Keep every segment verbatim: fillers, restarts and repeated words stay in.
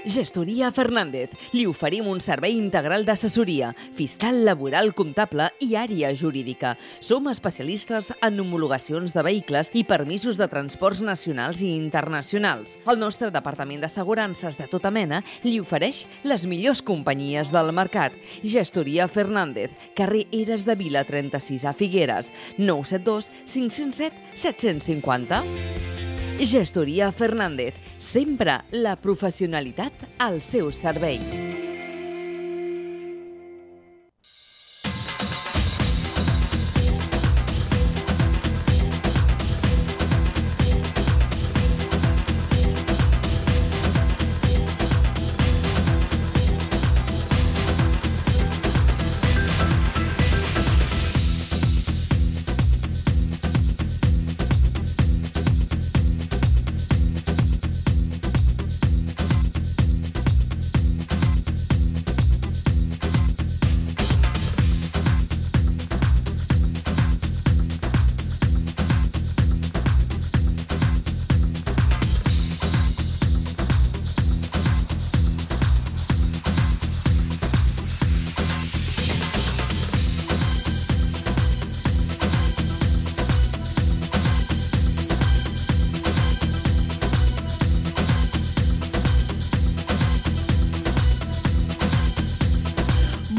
Gestoria Fernández. Li oferim un servei integral d'assessoria, fiscal, laboral, comptable i àrea jurídica. Som especialistes en homologacions de vehicles i permisos de transports nacionals i internacionals. El nostre departament d'assegurances de tota mena li ofereix les millors companyies del mercat. Gestoria Fernández, carrer Eres de Vila trenta-sis a Figueres, nou set dos cinc zero set set cinc zero. Gestoria Fernández, sempre la professionalitat al seu servei.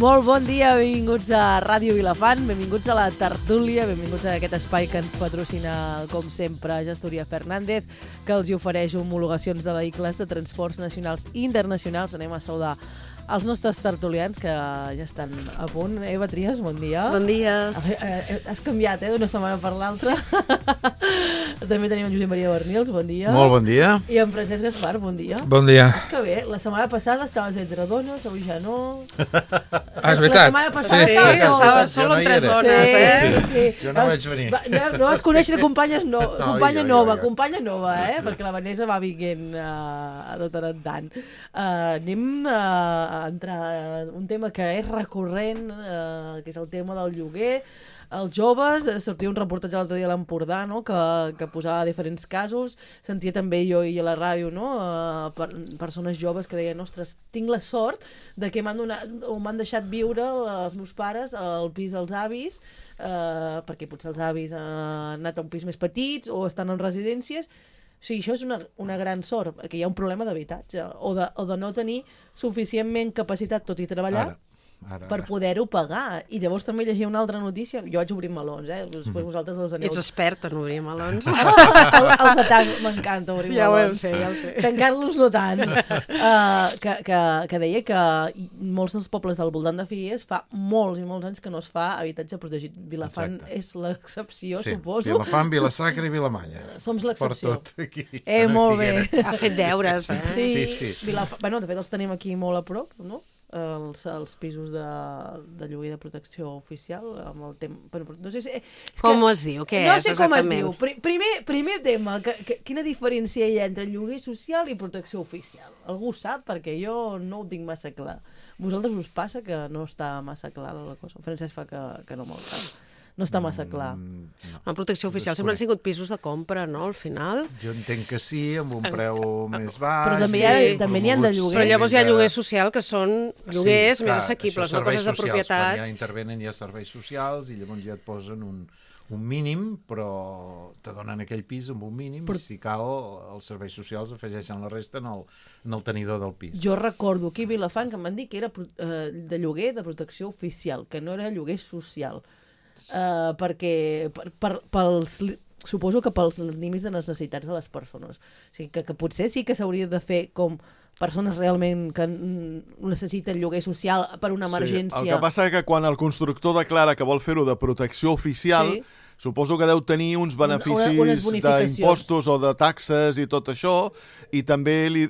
Molt bon dia, benvinguts a Ràdio Vilafant, benvinguts a la tertúlia, benvinguts a aquest espai que ens patrocina, com sempre, Gestoria Fernández, que els hi ofereix homologacions de vehicles de transports nacionals i internacionals. Anem a saludar els nostres tertulians, que ja estan a punt. Eva Trias, bon dia. Bon dia. Eh, has canviat, eh, d'una setmana per l'altra. També tenim en Josep Maria Bernils, bon dia. Molt bon dia. I en Francesc Gaspar, bon dia. Bon dia. És que bé, la setmana passada estaves entre dones, avui ja no. Ah, és veritat. La setmana passada Sí, estaves estava sol. sol amb no hi tres era. dones, Sí, eh? sí, sí. Jo no vaig venir. Va, no, no vas conèixer companyes no, No, companya jo, jo, nova, jo. companya nova, eh? Perquè la Vanessa va vinguent uh, de tant en tant. Uh, anem uh, a entrar en un tema que és recurrent, uh, que és el tema del lloguer. Els joves, eh, sortia un reportatge l'altre dia a l'Empordà, no?, que, que posava diferents casos. Sentia també jo i a la ràdio, no?, uh, per, persones joves que deien, ostres, tinc la sort de que m'han donat, o m'han deixat viure els meus pares al pis dels avis, uh, perquè potser els avis uh, han anat a un pis més petits o estan en residències. O sigui, això és una, una gran sort, perquè hi ha un problema d'habitatge, o, de, o de no tenir suficientment capacitat, tot i treballar, Ara. Ara, per ara. poder-ho pagar. I llavors també llegia una altra notícia. Jo vaig obrir melons, eh? Després mm. vosaltres els aneu... Ets expert en obrir melons. el, el satà m'encanta obrir Ja ho melons. sé, ja ho sé. Tancar-los no tant. Uh, que, que, que deia que molts dels pobles del voltant de Figueres fa molts i molts anys que no es fa habitatge protegit. Vilafant Exacte. és l'excepció, Sí, suposo. Vilafant, Vilasacra i Vilamalla. Som Per l'excepció. tot aquí. Eh, molt bé. Ha fet deures, eh? Sí, Sí, sí. Vilaf... bueno, de fet els tenim aquí molt a prop, no? Els, els pisos de, de lloguer de protecció oficial amb el tema... Bueno, no sé si... és Com que- es diu? Què no és sé com es exactament? diu. Pri- Primer, primer tema, que, que, quina diferència hi ha entre lloguer social i protecció oficial? Algú sap? Perquè jo no ho tinc massa clar. Vosaltres us passa que no està massa clar la cosa? Francesc fa que, que no me'l sap. No està massa clar. Mm, no. La protecció oficial sempre han sigut pisos de compra, no?, al final. Jo entenc que sí, amb un preu més baix. Però també hi ha- també n'hi ha de lloguer. Però llavors hi ha lloguer social, que són lloguers Sí, més clar, assequibles, això no coses de serveis socials. propietat. Quan ja intervenen hi ha serveis socials i llavors ja et posen un, un mínim, però te donen aquell pis amb un mínim Però- i si cal els serveis socials afegeixen la resta en el, en el tenidor del pis. Jo recordo aquí a Vilafant que em van dir que era pro- eh, de lloguer de protecció oficial, que no era lloguer social. Uh, perquè per, per, pels, li- suposo que pels límits de necessitats de les persones. O sigui, que, que potser sí que s'hauria de fer com persones realment que mm, necessiten lloguer social per una emergència. Sí, el que passa és que quan el constructor declara que vol fer-ho de protecció oficial, Sí. suposo que deu tenir uns Una- beneficis unes bonificacions. d'impostos o de taxes i tot això, i també li,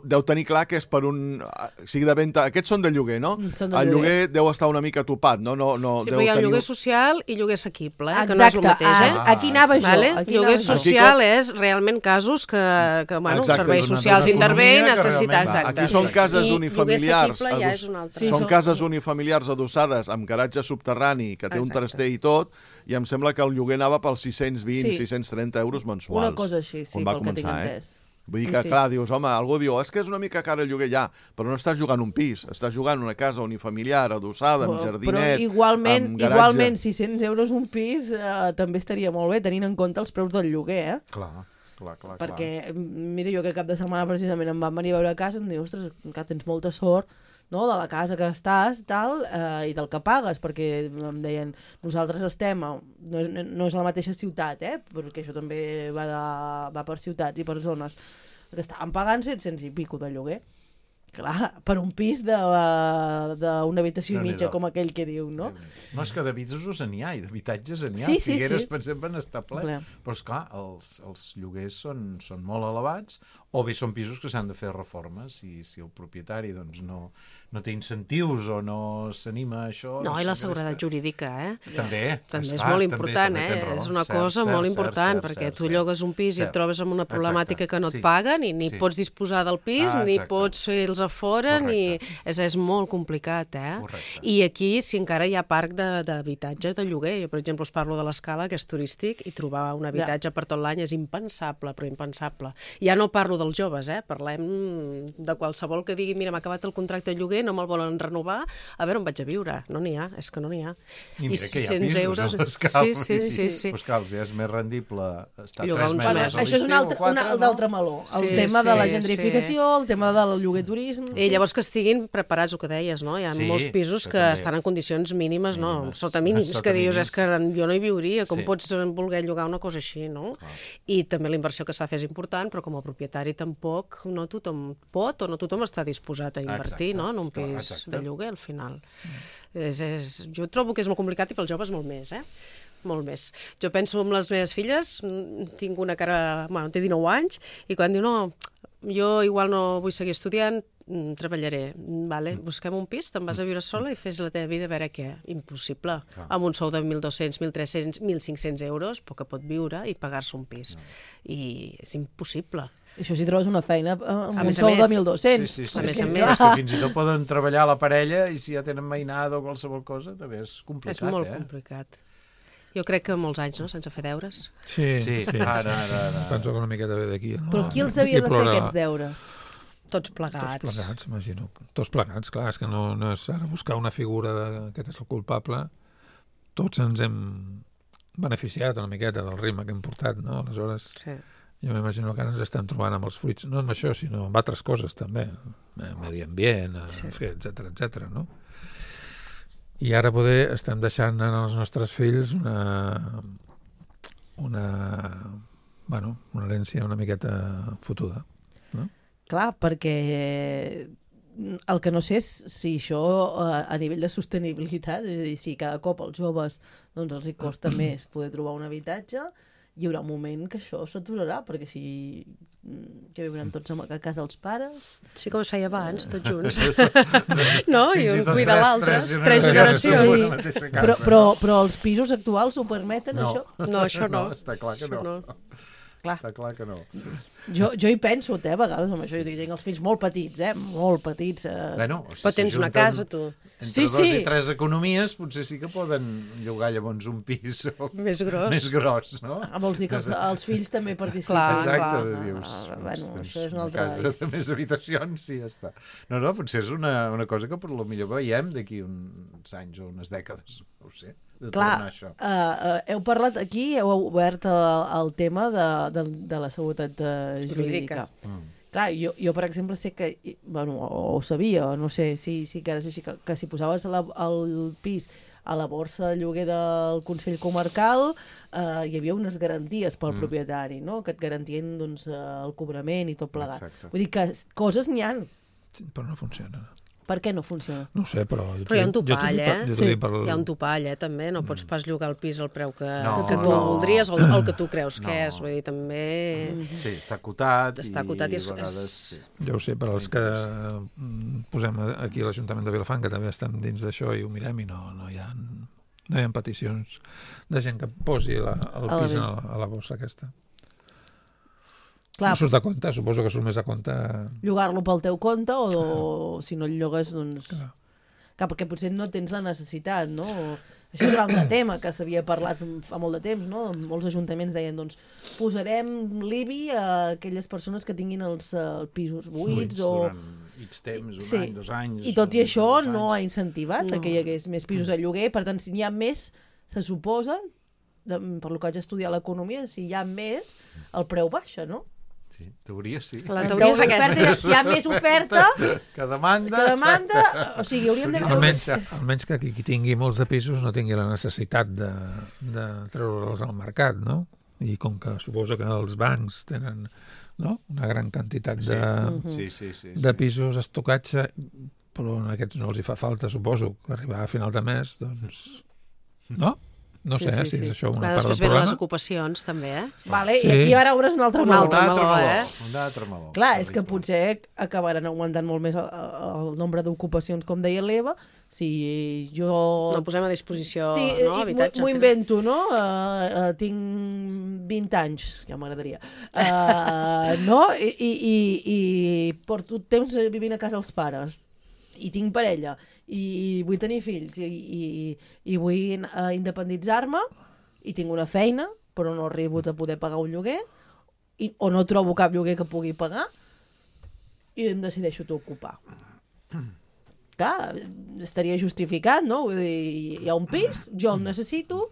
deu tenir clar que és per un... O sigui, de venda... Aquests són de lloguer, no? Mm, són de el lloguer. lloguer deu estar una mica topat, no? no, no Sí, deu però hi ha tenir... lloguer social i lloguer assequible, eh? que Exacte, no és el mateix, eh? a- aquí anava jo. Vale? Aquí Lloguer anava jo. social és realment casos que, que bueno, Exacte, serveis és una socials cosa intervé i economia que necessita, realment va. exacte. Aquí són cases I unifamiliars. lloguer assequible ja ados- és un altre. Sí, són són- cases unifamiliars adossades amb garatge subterrani, que té un Exacte. traster i tot, i em sembla que el lloguer anava pels sis-cents vint, Sí. sis-cents trenta euros mensuals. Una cosa així, sí, on va pel que tinc començar, eh? entès. Vull dir Sí, que, sí. clar, dius, home, algú diu, és que és una mica car el lloguer, ja, però no estàs jugant un pis, estàs jugant una casa unifamiliar, adossada, amb jardinet, però igualment, amb garatge. igualment sis-cents euros un pis eh, també estaria molt bé, tenint en compte els preus del lloguer, eh? Clar, clar, clar. Perquè, mira, jo que cap de setmana precisament em van venir a veure a casa i em diu, ostres, que tens molta sort, no?, de la casa que estàs tal, eh, i del que pagues, perquè em deien, nosaltres estem, a, no, és, no és la mateixa ciutat, eh, perquè això també va, de, va per ciutats i per zones, que estàvem pagant set-cents i pico de lloguer. Clar, per un pis d'una habitació i mitja, com aquell que diu, no? No, és que de pisos n'hi ha, i d'habitatges n'hi ha. Sí, sí, Figueres, sí. per exemple, n'està ple. Ple. Però, esclar, els, els lloguers són, són molt elevats, o bé són pisos que s'han de fer reformes, i si el propietari doncs, no, no té incentius o no s'anima a això... No, i la seguresta- seguretat jurídica, eh? També, També és esclar, molt també, important, també eh? tens raó. És una Cert, cosa cert, molt cert, important, cert, perquè cert, tu cert. llogues un pis i Cert. et trobes amb una problemàtica Exacte. que no et Sí. paguen i ni Sí. pots disposar del pis, Ah, ni exacte. pots fer-los a fora, ni... Correcte. És, és molt complicat, eh? Correcte. I aquí, si encara hi ha parc de- d'habitatge, de, de lloguer, jo, per exemple, us parlo de l'Escala, que és turístic, i trobar un habitatge per tot l'any és impensable, però impensable. Ja no parlo dels joves, eh? Parlem de qualsevol que digui, mira, m'ha acabat el contracte de lloguer, no me'l volen renovar, a veure on vaig a viure. No n'hi ha, és que no n'hi ha. I mira que hi ha sis-cents pisos euros... a l'Escala. Sí, sí, sí, sí. Pues cal, ja és més rendible estar Llogar tres uns mesos mesos. a Això és un l'estiu altre, o quatre, un no? altre meló. El Sí, tema de la sí, gentrificació, el tema del lloguer turisme... I llavors que estiguin preparats, el que deies, no? Hi ha Sí, molts pisos això que també. estan en condicions mínimes, no? Mínimes. Sota mínims, Sota que dius, mínims. és que jo no hi viuria, com Sí. pots voler llogar una cosa així, no? I també la inversió que s'ha de fer és important, però com a propietari tampoc no tothom pot o no tothom està disposat a invertir, Exacte. no?, en un Clar, pis exacte. de lloguer, al final. És, és, jo trobo que és molt complicat i pels joves molt més, eh? Molt més. Jo penso en les meves filles, mm, tinc una cara... Bueno, té dinou anys, i quan diu, no, jo igual no vull seguir estudiant, mm, treballaré, mm, vale, busquem un pis, te'n vas a viure sola i fes la teva vida a veure què. Impossible. Clar. Amb un sou de mil dos-cents, mil tres-cents, mil cinc-cents euros, però que pot viure i pagar-se un pis. I és impossible. Això si trobes una feina eh, amb A un més a sou de més. mil dos-cents. Sí, sí, sí. A més a Sí, més. que fins i tot poden treballar a la parella i si ja tenen mainada o qualsevol cosa, també és complicat, És molt eh? complicat. Jo crec que molts anys, no?, sense fer deures. Sí, Sí, sí. ara, ara, ara. Penso que una miqueta ve d'aquí. No? Però qui els havia de fer plora- aquests deures? Tots Tots plegats. plegats, imagino. Tots plegats, clar, és que no, no és ara buscar una figura de, aquest és el culpable. Tots ens hem beneficiat una miqueta del ritme que hem portat, no? Aleshores, Sí. jo m'imagino que ara ens estem trobant amb els fruits, no amb això, sinó amb altres coses també, eh, medi ambient, sí. etcètera, etcètera, no? I ara poder estem deixant als nostres fills una una bueno, una herència una miqueta fotuda. Clar, perquè el que no sé és si això eh, a nivell de sostenibilitat, és a dir, si cada cop als joves doncs, els hi costa més poder trobar un habitatge, hi haurà un moment que això s'aturarà, perquè si mm, que viuran tots a casa els pares... Sí, com es feia abans, tots junts. No? I Fins i un tot cuida tres- l'altre, tres tres generacions. generacions. Sí. la mateixa casa. Però, però, però els pisos actuals ho permeten, No. això? No, això no. Està clar que Això no. no. Clar. Està clar que no. Jo, jo hi penso, eh, a vegades, amb això. Jo tinc els fills molt petits, eh? Molt petits. Eh? Bueno, o sigui, Però tens una s'ajunten casa, tu. Entre Sí, dos sí. i tres economies potser sí que poden llogar llavors un pis o... Més gros. més gros, no? Ah, vols dir que els, els fills també participen? Clar, Exacte, clar. dius. Ah, doncs bueno, tens això és una una altra... casa de més habitacions, sí, ja està. No, no, potser és una, una cosa que per lo millor veiem d'aquí uns anys o unes dècades, no ho sé, de Clar, tornar a això. uh, uh, heu parlat aquí, heu obert el, el tema de, de, de la seguretat uh, jurídica. Jurídica. Mm. Clar, jo, jo, per exemple, sé que, i- bueno, o, o sabia, o no sé si, si que ara és així, que, que si posaves la, el pis a la borsa de lloguer del Consell Comarcal eh, hi havia unes garanties pel Mm. propietari, no?, que et garantien doncs, eh, el cobrament i tot plegat. Exacte. Vull dir que coses n'hi han. Sí, però no funciona. Per què no funciona? No ho sé, però... Jo Però hi ha un t'ho dic- jo t'ho topall, dic per- eh? jo t'ho Sí. dic per- Hi ha un topall, eh, també. No pots pas llogar el pis al preu que, No, que tu no. voldries o el, el que tu creus que No. és. Vull dir, també... Sí, està acotat Està acotat i és- a vegades... és- Sí. Jo ho sé, per als que mm, posem aquí a l'Ajuntament de Vilafant, que també estem dins d'això i ho mirem i no, no, hi ha, no hi ha peticions de gent que posi la, el A la pis a vista. la, a la bossa aquesta. Clar, No surt a compte, suposo que surt més a compte... llogar-lo pel teu compte o, o si no el llogues, doncs... Clar. Clar, perquè potser no tens la necessitat, no? Això és un altre tema que s'havia parlat fa molt de temps, no? Molts ajuntaments deien, doncs, posarem l'I B I a aquelles persones que tinguin els uh, pisos buits o... durant X temps, un sí. any, dos anys... I tot i això dos no ha anys. incentivat No. que hi hagués més pisos a lloguer, per tant, si n'hi ha més, se suposa, de, per lo que haig estudiat l'economia, si hi ha més, el preu baixa, no? Sí, teoria sí. La teoria és aquesta. Si hi ha més oferta, Que demanda... que demanda... O sigui, hauríem de... Almenys, almenys que qui, qui tingui molts de pisos no tingui la necessitat de, de treure'ls al mercat, no? I com que suposo que els bancs tenen, no?, una gran quantitat de, Sí, sí, sí. de pisos estocatge, però a aquests no els hi fa falta, suposo, que arribar a final de mes, doncs... No? No Sí, sé sí, eh, si sí. és això una Clar, part del després venen les problema. ocupacions, també, eh? Vale, Sí. i aquí ara obres un altre Un meló. altre Un altre meló, meló, eh? un altre meló. Clar, és que Terrible. potser acabaran augmentant molt més el, el nombre d'ocupacions, com deia l'Eva, si jo... No posem a disposició, Ti- no, i habitatge. M'ho al final. invento, no? Uh, uh, tinc vint anys, ja m'agradaria. Uh, no? I, i, i, I porto temps vivint a casa dels pares. I tinc parella. I vull tenir fills. I, i, i vull uh, independitzar-me. I tinc una feina, però no arribo a poder pagar un lloguer. I, o no trobo cap lloguer que pugui pagar. I em decideixo t'ocupar. Clar, estaria justificat, no? Vull dir, hi ha un pis, jo el necessito,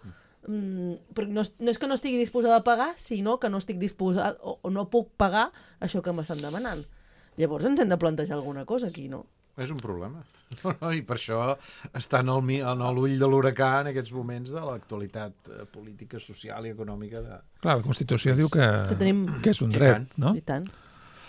mm, però no, és- no és que no estigui disposada a pagar, sinó que no estic disposada o, o no puc pagar això que m'estan demanant. Llavors ens hem de plantejar alguna cosa aquí, no? És un problema. No, no, I per això està en el mi- en l'ull de l'huracà en aquests moments de l'actualitat eh, política, social i econòmica de... Clar, la Constitució diu que, Que tenim- que és un I dret, tant. no? I tant.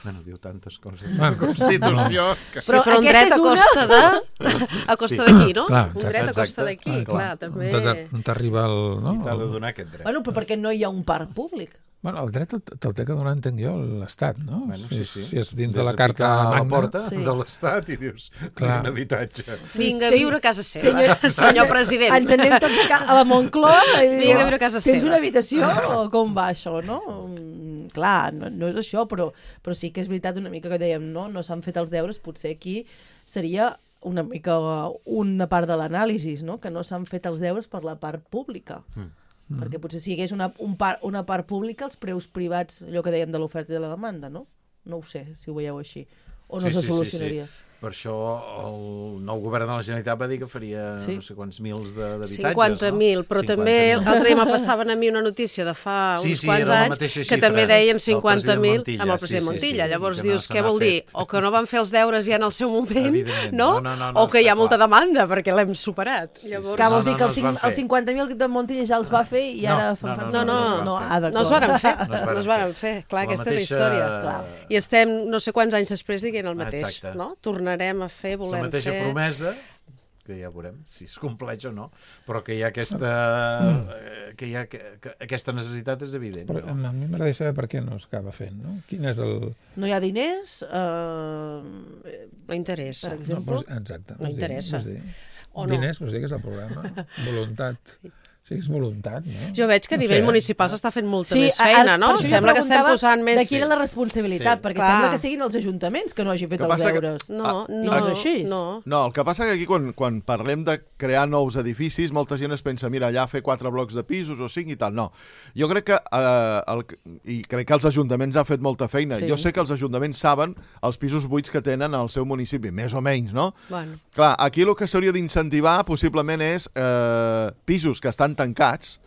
Bueno, diu tantes coses. Bueno, La Constitució... Que... Sí, però, però un aquesta dret a és una- costa de... a costa Sí. d'aquí, no? Clar, un exacte, dret a costa exacte. d'aquí, Ah, clar, també... On t'arriba el... No? I t'ha de donar aquest dret. Bueno, però perquè no hi ha un parc públic. Bueno, el dret te'l te'l té que donar, entenc jo, l'Estat, no? Bueno, si, sí, és- sí. si és dins Ves de la a Carta picar a la Magna... porta Sí. de l'Estat i dius, Clar. un habitatge. Vinga a Sí. viure a casa seva, senyor president. Ens anem tots a, ca a la Moncloa i Vinga a viure a casa tens seva. una habitació o com va això, no? Mm, clar, no, no és això, però, però sí que és veritat una mica que dèiem, no? No s'han fet els deures, potser aquí seria una mica una part de l'anàlisi, no? Que no s'han fet els deures per la part pública. Mm. Perquè potser si hi hagués una, un par, una part pública, els preus privats, allò que dèiem de l'oferta i de la demanda, no? No ho sé, si ho veieu així. O no Sí, se sí, sí, solucionaria. sí. Per això el nou govern de la Generalitat va dir que faria Sí. no sé quants mils de- d'habitatges. cinquanta mil, però cinquanta també mil. l'altre dia me passaven a mi una notícia de fa Sí, uns sí, quants era la anys mateixa que xifra també deien del cinquanta mil president amb el Montilla, president sí, sí, Montilla. sí, Llavors que no dius, se què n'ha vol dir? fet. O que no van fer els deures ja en el seu moment, Evidentment. no? No, no, no, no, o que hi ha està molta clar. demanda perquè l'hem superat. Llavors... Que vols No, dir no, que no els, es van cinc- fer. els cinquanta mil de Montilla ja els va fer i No, ara no, fan no, fan- No, no, no, no, no, ah, no es varen fer, No es varen no es varen fer. Clar, La aquesta és la mateixa- història. Clar. I estem no sé quants anys després dient el mateix, Exacte. no? Tornarem a fer, La volem mateixa fer... promesa, que ja veurem si es compleix o no, però que hi ha aquesta, eh, que hi ha, que, que aquesta necessitat és evident. Però No? a mi m'agradaria saber per què no s'acaba fent, no? Quin és el... No hi ha diners, eh, No interessa. per No, exemple. vols... Exacte. No vols dir- interessa. vols dir. O no. Diners, vols dir que és el problema? Voluntat. Sí, és voluntat, no? Jo veig que a No nivell sé. municipal s'està fent molta Sí, més ara- feina, per no? això jo Sembla que estem preguntava posant més... de qui era la responsabilitat, Sí. perquè Clar. sembla que siguin els ajuntaments que no hagin fet Que els passa que- deures. No, Ah, no, no és així? no. No, el que passa que aquí quan, quan parlem de crear nous edificis, molta gent es pensa, mira, allà fer quatre blocs de pisos o cinc i tal. No, jo crec que, eh, el, i crec que els ajuntaments han fet molta feina. Sí. Jo sé que els ajuntaments saben els pisos buits que tenen al seu municipi, més o menys, no? Bueno, Clar, aquí el que s'hauria d'incentivar possiblement és eh, pisos que estan tancats,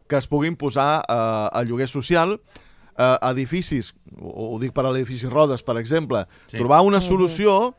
que es puguin posar eh, a lloguer social, eh, edificis, ho, ho dic per a l'edifici Rodes, per exemple, Sí. trobar una solució,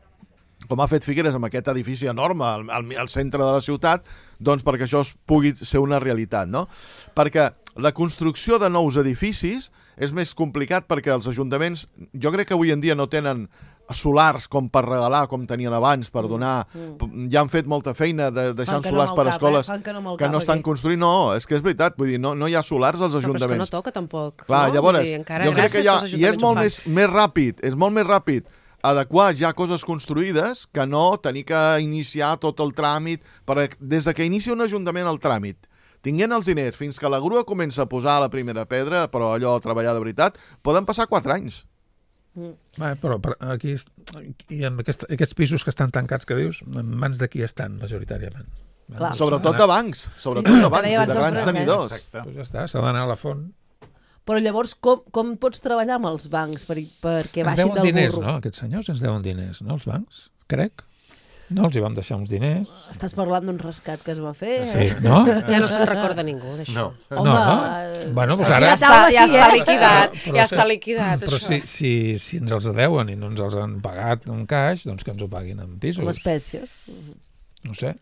com ha fet Figueres amb aquest edifici enorme al, al, al centre de la ciutat, doncs perquè això es pugui ser una realitat, no? Perquè la construcció de nous edificis és més complicat perquè els ajuntaments, jo crec que avui en dia no tenen solars com per regalar, com tenien abans, per donar... Mm. Ja han fet molta feina de, deixant Fan que no solars amb per el cap, escoles eh? Fan que no amb el que cap no estan aquí. construint. No, és que és veritat, vull dir, no, no hi ha solars als però és que no ajuntaments. toca tampoc. Clar, no? llavors, Vull dir, encara jo crec que gràcies ja, que els i és ajuntaments molt ho fan. més, més ràpid, és molt més ràpid adequar ja coses construïdes que no tenir que iniciar tot el tràmit, perquè des de que inicia un ajuntament el tràmit, tinguent els diners fins que la grua comença a posar la primera pedra, però allò a treballar de veritat, poden passar quatre anys. Va, però per aquí, i amb aquest, aquests pisos que estan tancats, que dius, en mans de qui estan, majoritàriament? Clar. Sobretot de bancs, sobretot Sí, de que bancs, deia i de abans el grans Francesc. tenidors. Exacte. Pues ja està, s'ha d'anar a la font. Però llavors, com, com pots treballar amb els bancs per, perquè Ens baixin deuen del diners, burro? no? Aquests senyors ens deuen diners, no? Els bancs, crec. No els hi vam deixar uns diners. Estàs parlant d'un rescat que es va fer? Sí, no? Ja no se'n recorda ningú d'això. No. Home, no, no? eh, Bueno, doncs aquí ara... Ja la està, taula ja sí, està eh? liquidat, Però ja si- està liquidat, Però això. si, si, si ens els deuen i no ens els han pagat en caix, doncs que ens ho paguin en pisos. Amb espècies. No sé.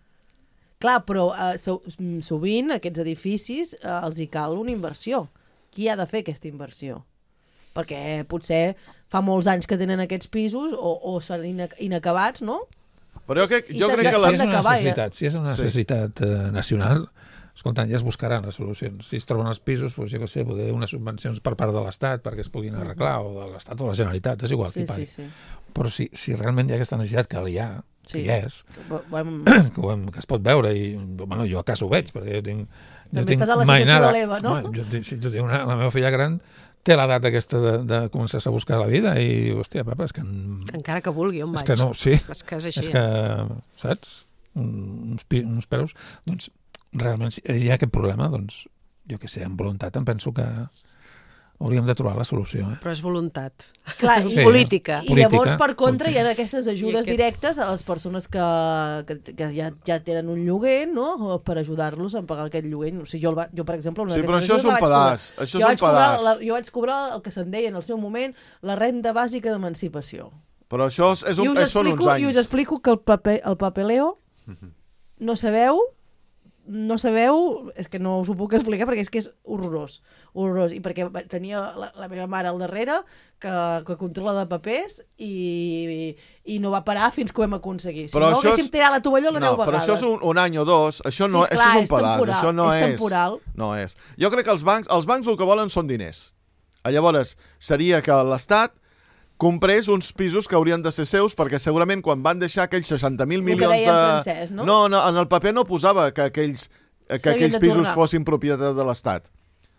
Clar, però eh, so, sovint aquests edificis eh, els hi cal una inversió. Qui ha de fer aquesta inversió? Perquè potser fa molts anys que tenen aquests pisos o, o són inac inacabats, no? Però jo crec, I jo s'ha- crec que Si la... és una d'acabar, ja. necessitat, si és una Sí. necessitat eh, nacional, escoltant, ja es buscaran les solucions. Si es troben els pisos, doncs, jo què sé, poder unes subvencions per part de l'Estat perquè es puguin arreglar, o de l'Estat o de la Generalitat, és igual Sí, qui pagui. sí, sí. Però si, si realment hi ha aquesta necessitat, que hi ha, que Sí. hi és, Ho- ho hem- que, ho hem, que es pot veure, i bueno, jo a casa ho veig, perquè jo tinc... Jo També tinc estàs a la situació mainada. de l'Eva, no? Home, jo, tinc- sí, jo tinc una, la meva filla gran té l'edat aquesta de, de començar a buscar la vida i, hòstia, papa, és que... En... Encara que vulgui, on És vaig. que no, sí. És que és així. És que, saps? Un- Uns, pi- uns peus, doncs, realment, si hi ha aquest problema, doncs, jo què sé, amb voluntat em penso que hauríem de trobar la solució. Eh? Però és voluntat. Clar, Sí. i, Política. I Política, llavors, per contra, política. hi ha aquestes ajudes aquest- directes a les persones que, que, que ja, ja tenen un lloguer, no?, per ajudar-los a pagar aquest lloguer. O sigui, jo, el va, jo, per exemple, una Sí, però d'aquestes això és ajudes un la vaig cobrar. pedaç, això jo és un vaig cobrar, pedaç. la, jo vaig cobrar el que se'n deia en el seu moment la renda bàsica d'emancipació. Però això és, és un, I us, és, són uns explico, I us anys. explico que el, paper, el papeleo no sabeu no sabeu, és que no us ho puc explicar perquè és que és horrorós, horrorós, i perquè tenia la, la meva mare al darrere que, que controla de papers i, i no va parar fins que ho hem aconseguit. Si Però no, això haguéssim és- tirat la tovallola No, deu però vegades. això és un, un any o dos, això no, Sí, esclar, això és és un pedaç, temporal, això no és és, temporal. no és. Jo crec que els bancs, els bancs el que volen són diners. Llavors, seria que l'Estat comprés uns pisos que haurien de ser seus, perquè segurament quan van deixar aquells seixanta mil El que milions deia en de... Francesc, no? no, no, en el paper no posava que aquells, que S'havien aquells de pisos tornar. fossin propietat de l'Estat.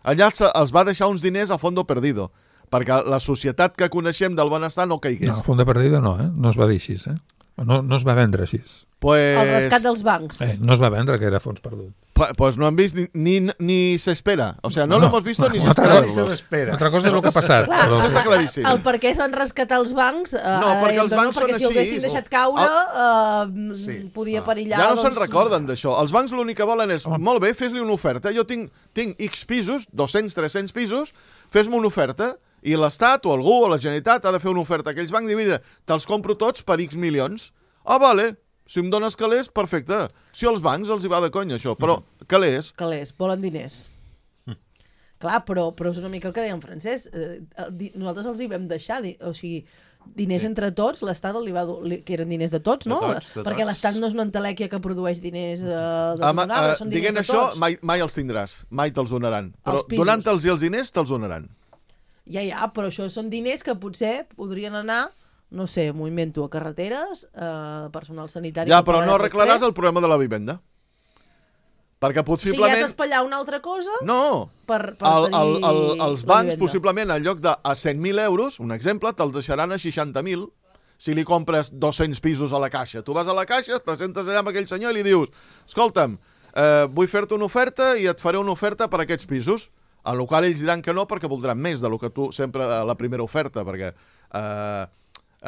Allà se- els va deixar uns diners a fondo perdido, perquè la societat que coneixem del benestar no caigués. No, fons de perdida no, eh? No es va dir així, eh? No, no es va vendre així. Pues, El rescat dels bancs. Eh, no es va vendre que era fons perdut. Pues, pues no han vist ni, ni, ni se espera. O sea, no, No, lo hemos visto ni se una altra espera. cosa. Ni se l'espera. Altra cosa és el que ha passat. Clar, però... Això està claríssim. El per què es van rescatar els bancs, eh, No, ara perquè dèiem, els bancs no, perquè són si ho així. haguessin deixat caure eh, Sí. podia Ah. perillar. Ja no se'n doncs, recorden d'això. Els bancs l'únic que volen és, molt bé, fes-li una oferta. Jo tinc, tinc X pisos, dos-cents, tres-cents pisos, fes-me una oferta, i l'Estat o algú o la Generalitat ha de fer una oferta a aquells bancs i dir, te'ls compro tots per X milions. Ah, vale, si em dones calés, perfecte. Si als bancs els hi va de conya això, però calés... Calés, volen diners. Clar, però, però és una mica el que deia en Francesc. Eh, el di- nosaltres els hi vam deixar, di- o sigui, diners sí. entre tots, l'Estat li va dur, li, que eren diners de tots, De no? tots, de Perquè tots. l'Estat no és una entelèquia que produeix diners eh, dels Ama, donables, eh, són diners dient de això, tots. mai, mai els tindràs. Mai te'ls donaran. Però Els pisos. donant-te'ls els diners, te'ls donaran. Ja, ja, però això són diners que potser podrien anar, no sé, m'ho invento, a carreteres, eh, personal sanitari... Ja, que però no pagarà arreglaràs després. el problema de la vivenda. Perquè O sigui, has possiblement... d'espatllar una altra cosa No, per, per el, el, tenir el, els la bancs, vivenda. possiblement, en lloc de a cent mil euros, un exemple, te'ls deixaran a seixanta mil si li compres dos-cents pisos a la caixa. Tu vas a la caixa, te sentes allà amb aquell senyor i li dius, escolta'm, eh, vull fer-te una oferta i et faré una oferta per aquests pisos. A lo qual ells diran que no perquè voldran més de lo que tu sempre a la primera oferta, perquè eh,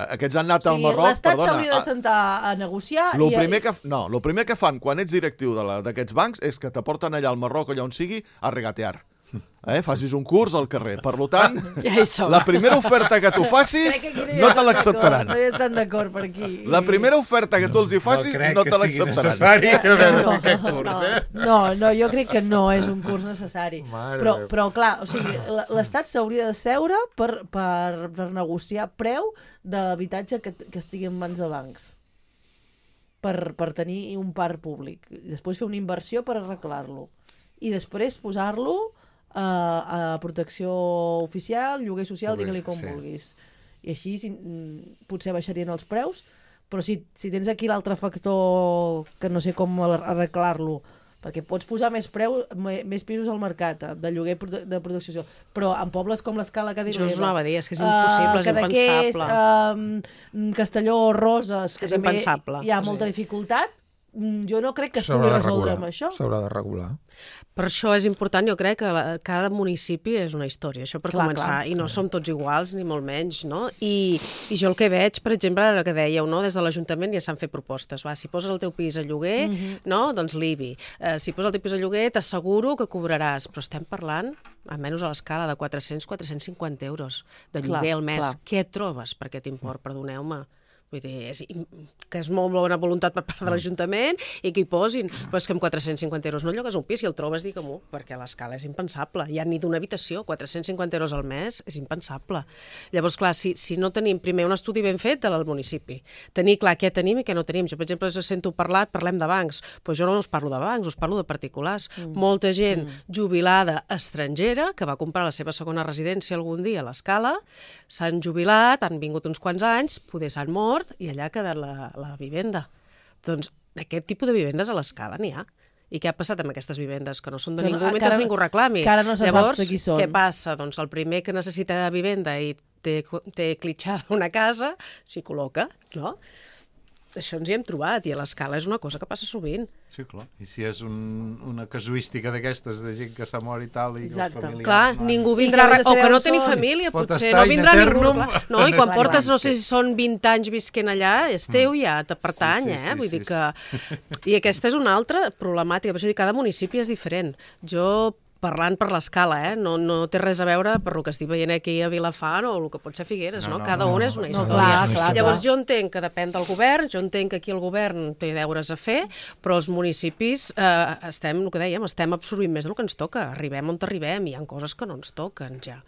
aquests han anat O al sigui, Marroc, l'Estat perdona. s'hauria de sentar a negociar Lo i... primer que, no, lo primer que fan quan ets directiu de la- d'aquests bancs és que te porten allà al Marroc o allà on sigui a regatear. Eh? Facis un curs al carrer. Per tant, Ja hi som. la primera oferta que tu facis Crec que aquí hi no ha te d'acord, l'acceptaran. No hi estan d'acord per aquí. La primera oferta que tu els hi facis no crec no que te sigui l'acceptaran. necessari haver no, aquest curs, eh? no, no, jo crec que no és un curs necessari. Mare Però, meva. però clar, o sigui, l- l'Estat s'hauria de seure per, per, per negociar preu d'habitatge que, que estigui en mans de bancs. Per, per tenir un parc públic. I després fer una inversió per arreglar-lo. I després posar-lo a, a protecció oficial, lloguer social, Lloguer, digue-li com sí. vulguis. I així si, mm, potser baixarien els preus, però si, si tens aquí l'altre factor que no sé com ar- arreglar-lo, perquè pots posar més preu, me- més pisos al mercat eh, de lloguer prote- de protecció social, però en pobles com l'Escala que Això us anava a dir, és que és impossible, és impensable. Uh, Castelló, Roses, que És també impensable, hi ha sí. molta dificultat, jo no crec que es S'haurà pugui de resoldre regular, amb això. s'haurà de regular. Per això és important, jo crec, que la, cada municipi és una història, això per Clar, començar, clar. i no som tots iguals, ni molt menys, no? I, i jo el que veig, per exemple, ara que dèieu, no? Des de l'Ajuntament ja s'han fet propostes, va, si poses el teu pis a lloguer, Mhm. no? Doncs l'I B I. Eh, si poses el teu pis a lloguer, t'asseguro que cobraràs, però estem parlant, almenys a l'escala de quatre-cents a quatre-cents cinquanta euros de Clar, lloguer al mes. clar. Què et trobes per aquest import? Perdoneu-me. Vull dir, és, que és molt bona voluntat per part de l'Ajuntament i que hi posin, però és que amb quatre-cents cinquanta euros no llogues un pis, si el trobes, digue-m'ho, perquè a l'escala és impensable. Ja ni d'una habitació, quatre-cents cinquanta euros al mes és impensable. Llavors, clar, si, si no tenim primer un estudi ben fet del municipi, tenir clar què tenim i què no tenim. Jo, per exemple, us sento parlat, parlem de bancs, però jo no us parlo de bancs, us parlo de particulars. Mm. Molta gent mm. jubilada estrangera que va comprar la seva segona residència algun dia a l'escala, s'han jubilat, han vingut uns quants anys, poder s'han mort, i allà ha quedat la, la vivenda. Doncs aquest tipus de vivendes a l'escala n'hi ha. I què ha passat amb aquestes vivendes? Que no són de Que no- ningú que mentre ara- ningú reclami. que ara no se sap Llavors, de qui són. què passa? Doncs el primer que necessita vivenda i té, té clitxada una casa, s'hi col·loca, no? Això ens hi hem trobat, i a l'escala és una cosa que passa sovint. Sí, clar. I si és un, una casuística d'aquestes de gent que s'ha mort i tal, i Exacte. els familiars... Clar, no, ningú I vindrà... que vés a O saber que no on teni són. família, Pot potser estar no vindrà in ningú. eternum. Clar. No, i quan Clar, portes, clar. no sé si són vint anys visquent allà, és teu ja, te pertany, Sí, sí, eh? sí, Vull sí, dir que... I aquesta és una altra problemàtica, per això dic, cada municipi és diferent. Jo, parlant per l'escala, eh? no, no té res a veure per el que estic veient aquí a Vilafant o el que pot ser Figueres, No, no? no, Cada no, un no, és una no, història. clar, clar, Llavors clar. jo entenc que depèn del govern, jo entenc que aquí el govern té deures a fer, però els municipis eh, estem, el que dèiem, estem absorbint més del que ens toca. Arribem on arribem, hi ha coses que no ens toquen ja.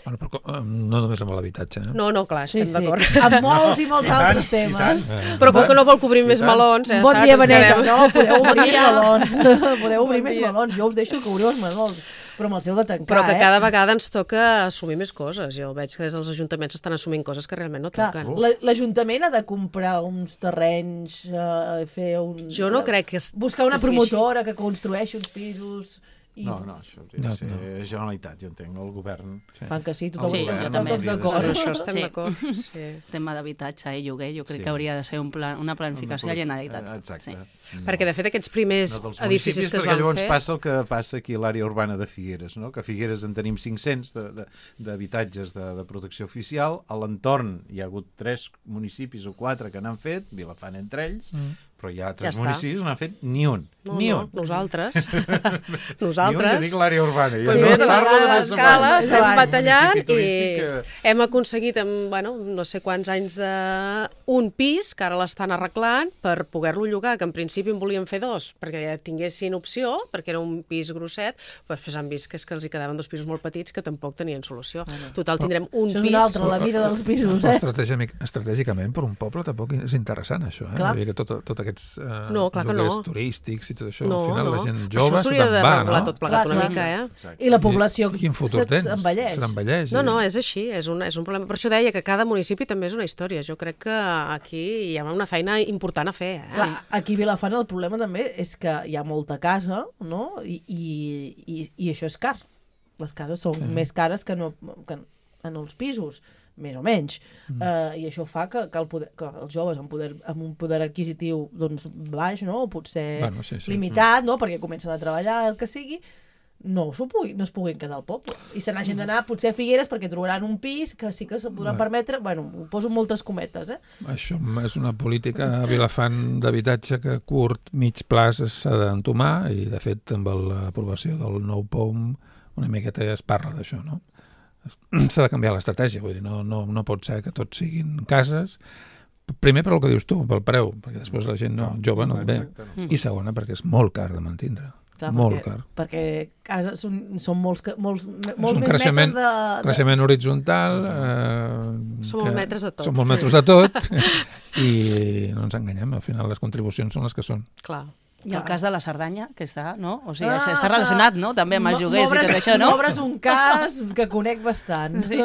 Bueno, però, eh, no només amb l'habitatge. Eh? No, no, clar, Sí, estem sí. d'acord. Amb molts i molts I tant, altres i tant. temes. Però com que no vol cobrir més tant. melons, eh, Bon saps? dia, Ens Vanessa. quedem- No, podeu obrir més melons. Podeu obrir Bon més dia. melons. Jo us deixo que obriu els melons. Però amb el seu de tancar, Però que eh? cada vegada ens toca assumir més coses. Jo veig que des dels ajuntaments estan assumint coses que realment no Clar, toquen. la- l'Ajuntament ha de comprar uns terrenys, eh, fer un... Jo no crec que... es- Buscar una que sigui així. promotora que construeixi uns pisos... I No, no, això hauria No, de ser no. Generalitat, jo entenc, el govern... fan que sí, tothom Sí, sí, jo estan també. tots En d'acord. això estem Sí. d'acord. Sí. Tema d'habitatge i lloguer, jo crec Sí. que hauria de ser un plan, una planificació de la Generalitat. Eh, Exacte. Sí. No. Perquè, de fet, aquests primers No dels edificis municipis, que es perquè van llavors fer... passa el que passa aquí a l'àrea urbana de Figueres, no? Que a Figueres en tenim cinc-cents de- de- d'habitatges de, de, de protecció oficial, a l'entorn hi ha hagut tres municipis o quatre que n'han fet, Vilafant entre ells, mm. però hi ha tres Ja està. municipis que n'han fet ni un, No, ni no, un. nosaltres. Ni un, ja nosaltres. dic l'àrea urbana. I Pues no mira, de parlo de més l'escala avall. estem Avall. batallant Municipi i turístic que- hem aconseguit en, bueno, no sé quants anys de un pis, que ara l'estan arreglant, per poder-lo llogar, que en principi en volien fer dos, perquè ja tinguessin opció, perquè era un pis grosset, però després han vist que és que els hi quedaven dos pisos molt petits que tampoc tenien solució. Total, tindrem un Això és pis... una altra, la vida dels pisos, Però eh? estratègicament, estratègicament per un poble tampoc és interessant això, eh? Clar. Vull dir que tot, tot aquests eh, No, clar que no. lloguers turístics i tot això, No, al final no. la gent Això jove se s'hauria te'n de va, regular no? tot plegat Clar, una clar. mica, eh? Exacte. I la població I quin futur tens? s'envelleix. S'envelleix. No, i- no, és així, és un, és un problema. Per això deia que cada municipi també és una història. Jo crec que aquí hi ha una feina important a fer. Eh? Clar, aquí a Vilafant el problema també és que hi ha molta casa, no? I, i, i, i això és car. Les cases són sí. més cares que, no, que en els pisos, més o menys. Mm. Uh, I això fa que, que, el poder, que els joves amb, poder, amb un poder adquisitiu doncs, baix, no? O potser Bueno, sí, sí. limitat, no? Perquè comencen a treballar, el que sigui, no, s'ho pugui, no es puguin quedar al poble. I se n'hagin d'anar potser a Figueres perquè trobaran un pis que sí que se podran Bueno. permetre, bueno, ho poso en moltes cometes, eh? Això és una política a Vilafant d'habitatge que a curt, mig plaç s'ha d'entomar i, de fet, amb l'aprovació del nou P O M una miqueta ja es parla d'això, no? S'ha de canviar l'estratègia, vull dir, no, no, no pot ser que tots siguin cases. Primer per el que dius tu, pel preu, perquè després la gent no, jove no et ve. Exacte, no. I segona, perquè és molt car de mantindre. Clar, molt perquè, car. perquè cases són, són molts, ca- molts, És molts un més creixement, metres de... de... creixement horitzontal. Eh, Som que molts metres de tot. Som molts metres de tot. I no ens enganyem, al final les contribucions són les que són. Clar. I el cas de la Cerdanya, que està, no? O sigui, Ah, ah, està relacionat, no?, també amb els lloguers i tot això, no? M'obres un cas que conec bastant. Sí.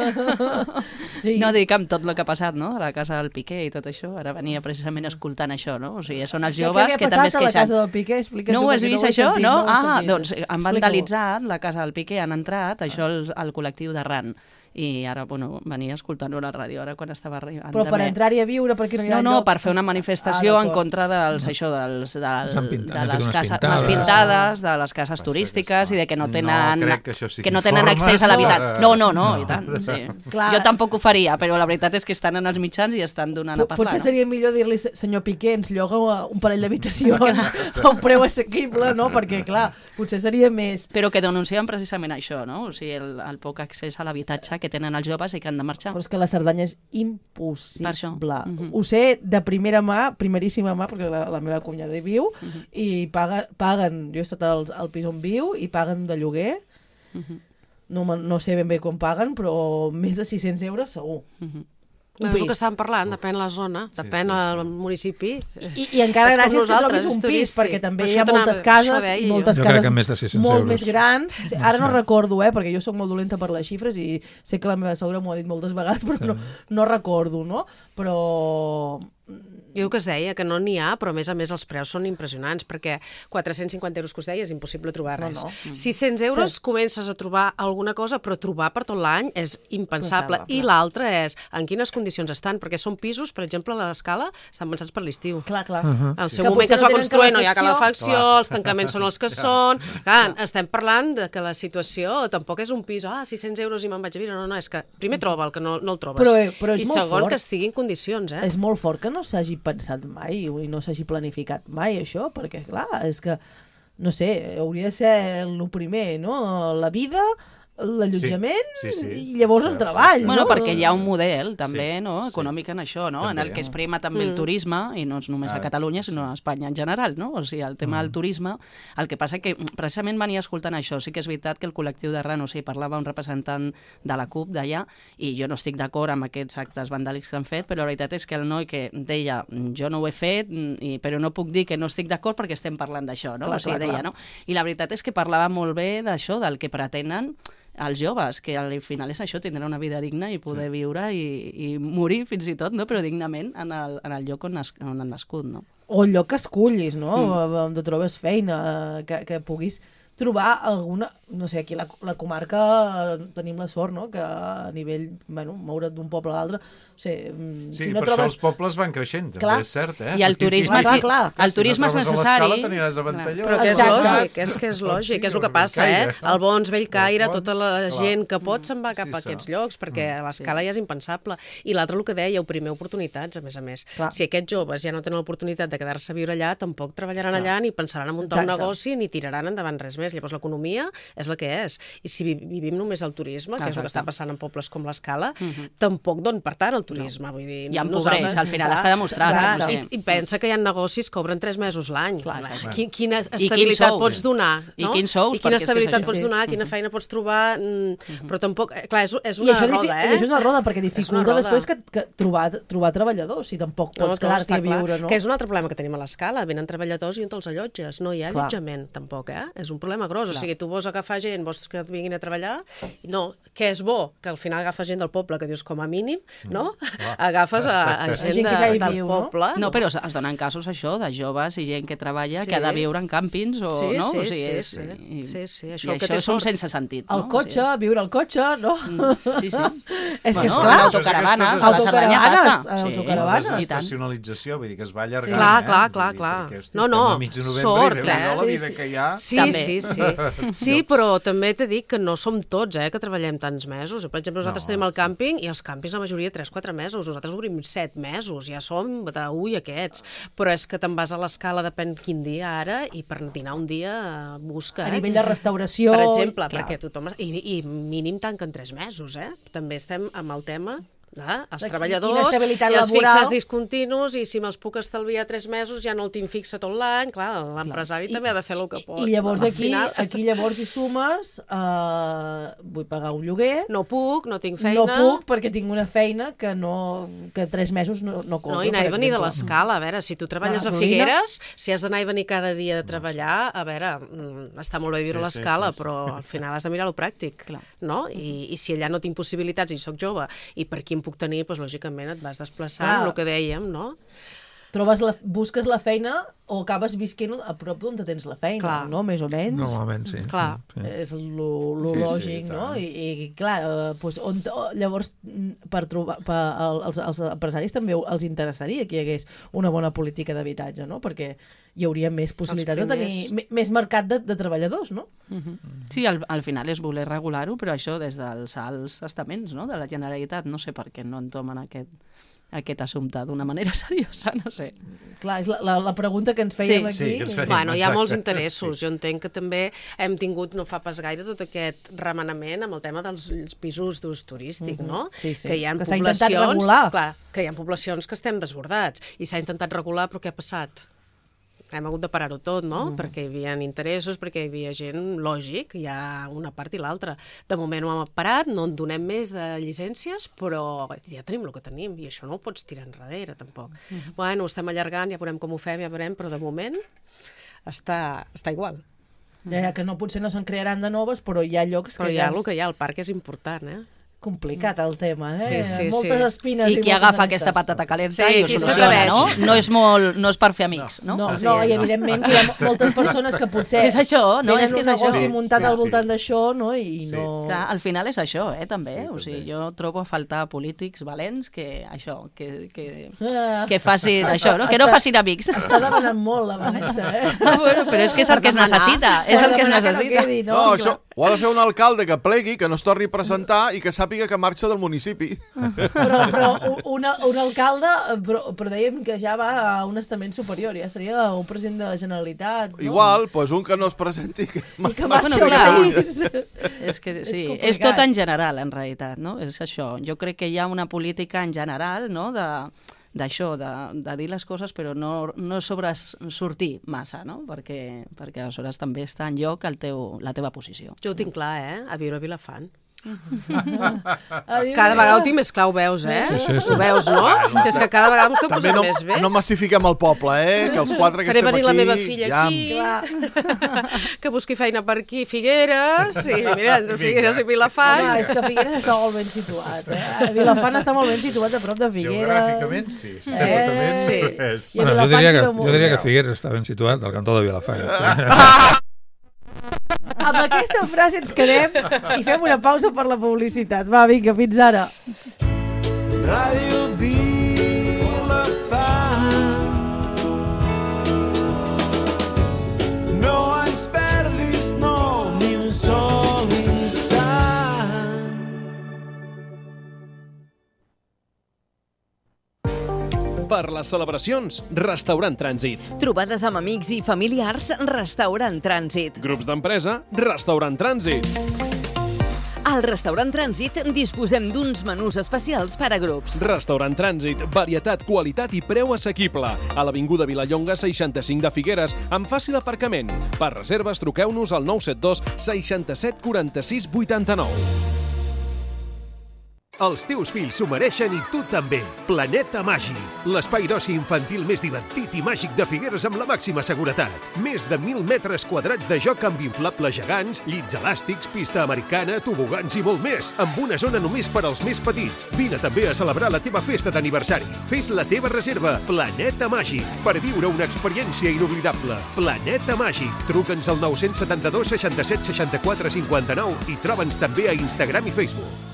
Sí. No, dic amb tot el que ha passat, no?, a la casa del Piqué i tot això. Ara venia precisament escoltant això, no? O sigui, són els Què- joves què que havia també es passat a la queixen. casa del Piqué? Explica't No tu, ho has perquè vist, ho he això? sentit, No? ho he Ah, sentit. doncs han Explica-ho. vandalitzat la casa del Piqué, han entrat, això el, el col·lectiu de R A N. i ara, bueno, venia escoltant-ho a la ràdio, ara quan estava arribant. Però per també. entrar-hi a viure, perquè no hi ha No, no, lloc... per fer una manifestació Ah, en d'acord. contra dels, això, dels, del, S'han pintat, de han fet les unes cases, pintades. unes pintades, de les cases Passa turístiques que i de que no no tenen, crec que això sigui que no tenen formes. accés a l'habitatge. No, no, no, No. i tant, sí. Clar. Jo tampoc ho faria, però la veritat és que estan en els mitjans i estan donant a Pot- parlar. Potser no? seria millor dir-li, senyor Piqué, ens lloga un parell d'habitacions a un preu assequible, no? Perquè, clar, potser seria més... Però que denuncien precisament això, no? O sigui, el, el poc accés a l'habitatge que tenen els joves i que han de marxar. Però és que la Cerdanya és impossible. Per això. Mhm. Ho sé de primera mà, primeríssima mà, perquè la, la meva cunyada hi viu, Mhm. i paga, paguen, jo he estat al, al pis on viu, i paguen de lloguer, Mhm. no, me- no sé ben bé com paguen, però més de sis-cents euros segur. Mhm. Un És el que pis. estàvem parlant, depèn la zona, depèn sí, sí. el municipi. I, i encara És com gràcies que nosaltres, trobis és un pis, turístic. perquè també Per hi ha això t'anava- moltes això cases, deia i jo. moltes Jo crec cases que més de sis-cents molt euros. més grans. Sí, ara no Sí. recordo, eh, perquè jo sóc molt dolenta per les xifres i sé que la meva sogra m'ho ha dit moltes vegades, però no, no recordo, no? Però... Jo el que es deia, que no n'hi ha, però a més a més els preus són impressionants, perquè quatre-cents cinquanta euros que us deia és impossible trobar No, res. no. sis-cents euros Sí. comences a trobar alguna cosa, però trobar per tot l'any és impensable. Pensable, I clar. l'altre és en quines condicions estan, perquè són pisos, per exemple, a l'escala, estan pensats per l'estiu. Clar, clar. Al seu Que moment que es va potser no tenen construir no hi ha calefacció. calefacció, els tancaments són els que són... Clar, estem parlant de que la situació tampoc és un pis, ah, sis-cents euros i me'n vaig a viure. No, no, és que primer troba el que no, no el trobes. Però, eh, però és I molt segon, fort. que estigui en condicions, eh? És molt fort que no s'hagi pensat mai i no s'hagi planificat mai això, perquè clar, és que no sé, hauria de ser el primer, no? La vida, l'allotjament Sí, sí, sí. i llavors el Cert, treball, Bueno, no? perquè hi ha un model també Sí, no? sí. econòmic en això, no? També. en el que es prima també el turisme, i no és només Ah, a Catalunya, sí, sinó a Espanya en general, no? O sigui, el tema del turisme, el que passa que precisament venia escoltant això, sí que és veritat que el col·lectiu de Rano, o sigui, parlava un representant de la CUP d'allà, i jo no estic d'acord amb aquests actes vandàlics que han fet, però la veritat és que el noi que deia, jo no ho he fet, i, però no puc dir que no estic d'acord perquè estem parlant d'això, no? Clar, o sigui, clar, deia, clar. no? I la veritat és que parlava molt bé d'això, del que pretenen els joves, que al final és això, tindre una vida digna i poder sí. viure i, i morir fins i tot, no? Però dignament en el, en el lloc on, has, on han nascut, no? O el lloc que escullis, no? Mm. On trobes feina, que, que puguis trobar alguna... No sé, aquí a la, la comarca eh, tenim la sort, no?, que a nivell, bueno, moure't d'un poble a l'altre, o sigui, mm, Sí, si no per trobes... això els pobles van creixent, també Clar. és cert, eh? I el Perquè turisme, clar, sí, clar, el turisme és si no trobes a necessari. l'escala t'aniràs a Ventalló. Però que és Exacte. lògic, és que és lògic, és el que passa, eh? El Bons, Bellcaire, tota la Clar. gent que pot se'n va cap Sí, a sí. aquests llocs, perquè a l'escala ja és impensable. I l'altre, el que dèieu, primer oportunitats, a més a més. Clar. Si aquests joves ja no tenen l'oportunitat de quedar-se a viure allà, tampoc treballaran allà, ni pensaran en muntar un Exacte. negoci, ni tiraran endavant res més. Llavors l'economia és la que és. I si vi- vivim només el turisme, que és el que Exacte. està passant en pobles com l'Escala, tampoc don per tant el turisme. Vull dir, I empobreix, nosaltres- al final Clar, està demostrat, clar, no? i, I pensa que hi ha negocis que obren tres mesos l'any. Clar, exacte. Qui- Quina quins estabilitat sous? pots donar? I no? quins sous, I quina perquè és que és estabilitat així. pots Sí. donar, quina feina pots trobar, mm, però tampoc... eh, Clar, és, és I una això, difi- roda, I eh? això és una roda, perquè És una dificulta roda. després que, que trobar, trobar treballadors, si tampoc pots No, no, quedar-t'hi està a clar. viure, no? Que és un altre problema que tenim a l'escala. Venen treballadors i on te'ls allotges? No hi ha Clar. allotjament, tampoc, eh? És un problema gros. O sigui, tu vols agafar gent, vols que et vinguin a treballar, no. Què és bo? Que al final agafes gent del poble, que dius com a mínim, no? Agafes a, a gent, Gent que de, ja hi del viu, no? poble. No, però es es donen casos, això, de joves i gent que treballa, Sí. que ha de viure en càmpings, o, Sí, no? sí, o sigui, sí, és, sí. I, Sí, sí, I això això, que té és un sort. sense sentit, El no? cotxe, O viure al cotxe, no? sigui, sí, sí. És que és Bueno, clar. en autocaravanes, a la Cerdanya Autocaravanes, passa. Sí, autocaravanes. i tant. Desestacionalització, vull dir que es va allargant. Clar, eh? clar, Vull clar, dir, clar. perquè, hosti, No, estem no, a mig de novembre sort, i eh? Déu-n'hi-do la Sí, vida sí. que hi ha. Sí, També. sí, sí. Sí, però també t'he dit que no som tots, eh, que treballem tants mesos. Per exemple, nosaltres No, tenim el càmping i els càmpings la majoria tres quatre mesos. Nosaltres obrim set mesos, ja som de ui aquests. Però és que te'n vas a l'escala, depèn quin dia ara, i per dinar un dia eh, busca, A eh? nivell de restauració... Per exemple, clar. perquè tothom... I, I mínim tanquen tres mesos, eh? També estem amb el tema... Ah, els De treballadors quina estabilitat i els laboral. fixes discontinus, i si me'ls puc estalviar tres mesos ja no el tinc fixe tot l'any. Clar, l'empresari també ha de fer el que pot. I llavors Al aquí, final, aquí llavors hi sumes uh, vull pagar un lloguer, no puc, no tinc feina... no puc perquè tinc una feina que no que tres mesos no, no cobro, No, i anar i per venir de exemple. l'escala. A veure, si tu treballes La a gasolina. Figueres, si has d'anar i venir cada dia a treballar, a veure, mm, està molt bé viure Sí, a sí, l'escala, sí, sí. però al final has de mirar lo pràctic, Clar. no? I, I si allà no tinc possibilitats i sóc jove, i per qui em puc tenir, doncs lògicament et vas desplaçant, Clar. el que dèiem, no? trobes la, busques la feina o acabes visquent a prop d'on tens la feina, Clar. no? Més o menys. Normalment, sí. Clar. Sí. És lo, lo Sí, sí, lògic, i no? tant. I, i clar, eh, doncs, on, llavors, per trobar, per, els, els empresaris també els interessaria que hi hagués una bona política d'habitatge, no? Perquè hi hauria més possibilitat de tenir primers. me- més mercat de, de treballadors, no? Sí, al, al final és voler regular-ho, però això des dels alts estaments, no?, de la Generalitat. No sé per què no entomen aquest, aquest assumpte d'una manera seriosa, no sé. Clar, és la, la, la pregunta que ens fèiem Sí, sí, aquí. que ens fèiem. Bueno, hi ha Exacte. molts interessos. Jo entenc que també hem tingut no fa pas gaire tot aquest remenament amb el tema dels pisos d'ús turístic, no? Sí, sí. Que hi ha Que s'ha intentat poblacions... regular. Clar, que hi ha poblacions que estem desbordats. I s'ha intentat regular, però què ha passat? Hem hagut de parar-ho tot, no? Mm. Perquè hi havia interessos, perquè hi havia gent, lògic, hi ha una part i l'altra. De moment ho hem parat, no en donem més de llicències, però ja tenim el que tenim, i això no ho pots tirar enrere, tampoc. Mm. Bueno, ho estem allargant, ja veurem com ho fem, ja veurem, però de moment està, està igual. Ja, que no, potser no se'n crearan de noves, però hi ha llocs Però que hi ha ja el és que hi ha, el parc és important, eh? complicat el tema, eh? Sí, sí, Moltes sí. espines I qui moltes agafa arestes. aquesta patata calenta Sí, i ho qui soluciona, s'aclareix. no? No és, molt, no és per fer amics, no? No, O no, sigui, i evidentment que hi ha moltes persones que potser És això, no? tenen És que és un negoci això. muntat Sí, al sí. voltant d'això, no? I Sí. no... Clar, al final és això, eh, també. Sí, o sigui, també. jo trobo a faltar polítics valents que, això, que, que, Ah, que facin això, no? Que no Està- facin amics. Està demanant molt la Vanessa, eh? bueno, però és que és el que es necessita. És el que es Demanar no necessita. quedi, No, no, no això ho ha de fer un alcalde que plegui, que no es torni a presentar i que sàpiga que marxa del municipi. Però, però un, una, un alcalde, però, però dèiem que ja va a un estament superior, ja seria un president de la Generalitat, no? Igual, doncs un que no es presenti... Que I que marxi marxi de del clar. país. És que És sí, és, complicat. tot en general, en realitat, no? És això. Jo crec que hi ha una política en general, no?, de d'això, de, de dir les coses però no, no sobresortir massa, no? Perquè, perquè aleshores també està en lloc el teu, la teva posició. Jo ho tinc clar, eh? A viure a Vilafant. A mi Cada m'agrada. vegada ho tinc més clar, ho veus, eh? Sí, sí, sí. Ho veus, no? Si és que cada vegada m'ho estem També posant no, més bé. no massifiquem el poble, eh? Que els quatre que Faré estem venir aquí... la meva filla ja... aquí, Clar. que busqui feina per aquí, Figueres, i mira, entre Figueres i Vilafant. Home, és que Figueres està molt ben situat, eh? Vilafant està molt ben situat a prop de Figueres. Geogràficament, sí. Certament sí. és. I a Bueno, jo Vilafant diria, s'hi que, veu molt jo diria bé. que Figueres està ben situat al cantó de Vilafant. Sí. Amb aquesta frase ens quedem i fem una pausa per la publicitat. Va, vinga, fins ara. Ràdio Vilafant. No ens perdis, no, ni un sol instant. Per les celebracions, Restaurant Trànsit. Trobades amb amics i familiars, Restaurant Trànsit. Grups d'empresa, Restaurant Trànsit. Al Restaurant Trànsit disposem d'uns menús especials per a grups. Restaurant Trànsit, varietat, qualitat i preu assequible. A l'Avinguda Vilallonga seixanta-cinc de Figueres, amb fàcil aparcament. Per reserves, truqueu-nos al nou set dos seixanta-set quaranta-sis vuitanta-nou. Els teus fills s'ho mereixen i tu també. Planeta Màgic, l'espai d'oci infantil més divertit i màgic de Figueres amb la màxima seguretat. Més de mil metres quadrats de joc amb inflables gegants, llits elàstics, pista americana, tobogans i molt més, amb una zona només per als més petits. Vine també a celebrar la teva festa d'aniversari. Fes la teva reserva. Planeta Màgic, per viure una experiència inoblidable. Planeta Màgic. Truca'ns al nou set dos, seixanta-set, seixanta-quatre, cinquanta-nou i troba'ns també a Instagram i Facebook.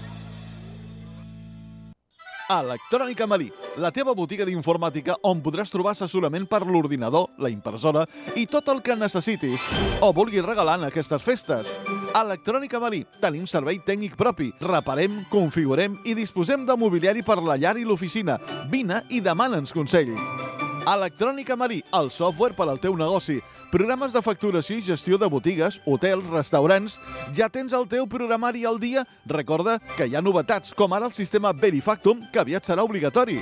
Electrònica Malí, la teva botiga d'informàtica on podràs trobar assessorament per l'ordinador, la impressora i tot el que necessitis o vulguis regalar en aquestes festes. Electrònica Malí, tenim servei tècnic propi, reparem, configurem i disposem de mobiliari per la llar i l'oficina. Vine i demana'ns consell. Electrònica Malí, el software per al teu negoci. Programes de facturació i gestió de botigues, hotels, restaurants... Ja tens el teu programari al dia? Recorda que hi ha novetats, com ara el sistema Verifactum, que aviat serà obligatori.